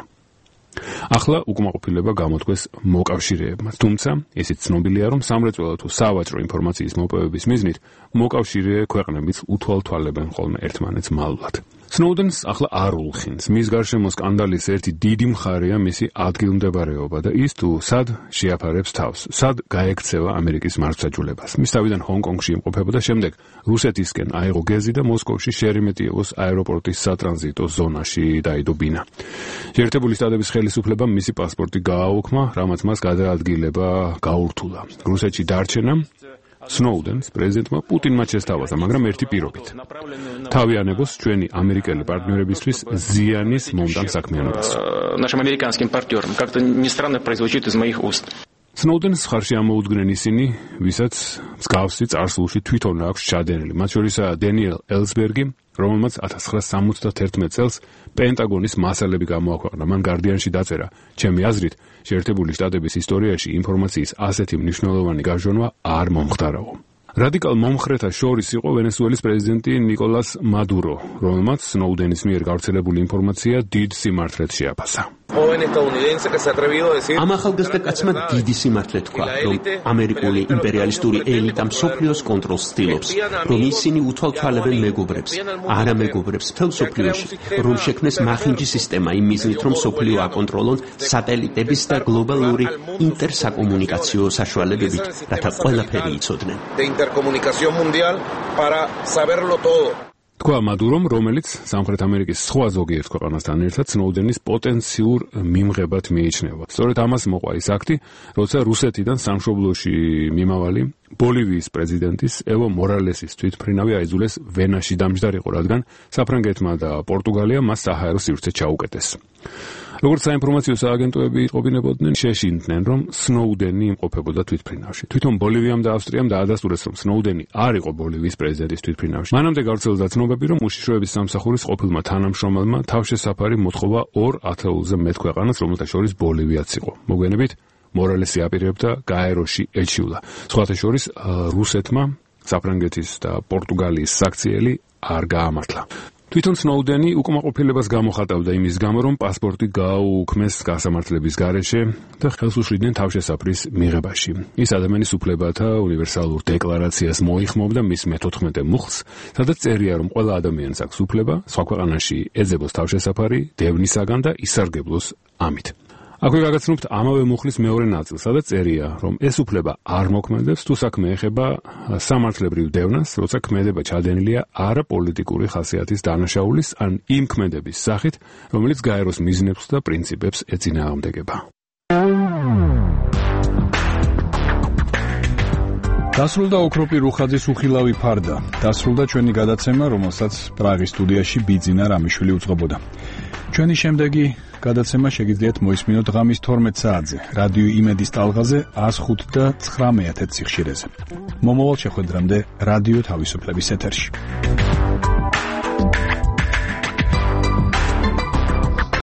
ახლა უკმაყოფილება გამოთქვეს მოკავშირეებმა, თუმცა ისიც ცნობილია, რომ სამრეწველო თუ სავაჭრო ინფორმაციის მოპოვების მიზნით მოკავშირე ქვეყნებიც უთვალთვალებენ ხოლმე ერთმანეთს მალულად. სნოუდენს ახლა არ ულხინს. მის გარშემო სკანდალის ერთი დიდი მხარეა მისი ადგილმდებარეობა და ის თუ სად შეაფარებს თავს, სად გაექცევა ამერიკის მართლმსაჯულებას. მის თავიდან ჰონკონგში იმყოფებოდა, შემდეგ რუსეთისკენ აიღო გეზი და მოსკოვში შერემეტიევოს აეროპორტის სატრანზიტო ზონაში დაიდო ბინა. შეერთებული შტატების ხელისუფლებამ მისი პასპორტი გააუქმა, რამაც მას გადაადგილება გაურთულა. რუსეთში დარჩენა სნოუდენს პრეზიდენტმა პუტინმა შესთავაზა, მაგრამ ერთი პირობით. თავი ანებოს ჩვენი ამერიკელი პარტნიორებისთვის ზიანის მომდამ საქმიანობას. Нашим американским партнерам как-то не странно прозвучит из моих уст. სნოუდენს ხარში ამოუდგნენ ისინი, ვისაც მსგავსი წარსულში თვითონ აქვს ჩადენილი, მათ შორისაა დენიელ ელსბერგი, რომელმაც 1971 წელს პენტაგონის მასალები გამოაქვეყნა. მან გარდიანში დაწერა: ჩემი აზრით, შეერთებული შტატების ისტორიაში ინფორმაციის ასეთი მნიშვნელოვანი გაჟონვა არ მომხდარაო. რადიკალ მომხრეთა შორის იყო ვენესუელის პრეზიდენტი ნიკოლას მადურო, რომელმაც სნოუდენის მიერ გავრცელებული ინფორმაცია დიდ სიმართლედ შეაფასა. ამ ახალგაზრდა კაცმა დიდი სიმართლე თქვა, რომ ამერიკული იმპერიალისტური ელიტა მსოფლიოს კონტროლს ცდილობს, რომ ისინი უთვალთვალებენ მეგობრებს, არა მეგობრებს მთელ მსოფლიოში, რომ შექმნეს მახინჯი სისტემა იმ მიზნით, რომ მსოფლიო აკონტროლონ სატელიტების და გლობალური ინტერსაკომუნიკაციო საშუალებებით, რათა ყველაფერი იცოდნენ. თქვა მადურომ, რომელიც სამხრეთ ამერიკის სხვა ზოგიერთ ქვეყანასთან ერთად სნოუდენის პოტენციურ მიმღებად მიიჩნევა. სწორედ ამას მოყვა ის აქტი, როცა რუსეთიდან სამშობლოში მიმავალი ბოლივიის პრეზიდენტის ევო მორალესის თვითმფრინავი აიძულეს ვენაში დამჯდარიყო, რადგან საფრანგეთმა და პორტუგალიამ მას საჰაერო სივრცე ჩაუკეტეს. როგორც საინფორმაციო სააგენტოები იტყობინებოდნენ, შეშინდნენ, რომ სნოუდენი იმყოფებოდა თვითმფრინავში. თვითონ ბოლივიამ და ავსტრიამ დაადასტურეს, რომ სნოუდენი არ იყო ბოლივიის პრეზიდენტის თვითმფრინავში. მანამდე გავრცელდა ცნობები, რომ უშიშროების სამსახურის ყოფილმა თანამშრომელმა თავშესაფარი მოთხოვა 2 ათეულზე მეტ ქვეყანას, რომელთა შორის ბოლივიაც იყო. მოგვიანებით მორალესი აპირებდა გაეროში ეჩიულა. სხვათა შორის რუსეთმა საფრანგეთის და პორტუგალიის საქციელი არ გაამართლა. თვითონ სნოუდენი უკმაყოფილებას გამოხატავდა იმის გამო, რომ პასპორტი გააუქმეს გასამართლების გარეშე და ხელს უშლიდნენ თავშესაფრის მიღებაში. ის ადამიანის უფლებათა უნივერსალურ დეკლარაციას მოიხმობდა მის მე-14 მუხლს, სადაც წერია, რომ ყველა ადამიანს აქვს უფლება სხვა ქვეყანაში ეძებოს თავშესაფარი დევნისაგან და ისარგებლოს ამით. აქვე გაგაცნობთ ამავე მუხლის მეორე ნაწილს, სადაც წერია, რომ ეს უფლება არ მოქმედებს, თუ საქმე ეხება სამართლებრივ დევნას, როცა ქმედება ჩადენილია არაპოლიტიკური ხასიათის დანაშაულის ან იმ ქმედების სახით, რომელიც გაეროს მიზნებს და პრინციპებს ეწინააღმდეგება. დასრულდა ოქროპი რუხაძის უხილავი ფარდა. დასრულდა ჩვენი გადაცემა, რომელსაც პრაღის სტუდიაში ბიძინა რამიშვილი უძღვებოდა. ჩვენი შემდეგი გადაცემა შეგიძლიათ მოისმინოთ ღამის 12 საათზე, რადიო იმედის ტალღაზე 105 და 9 სიხშირეზე. მომავალ შეხვედრამდე რადიო თავისუფლების ეთერში.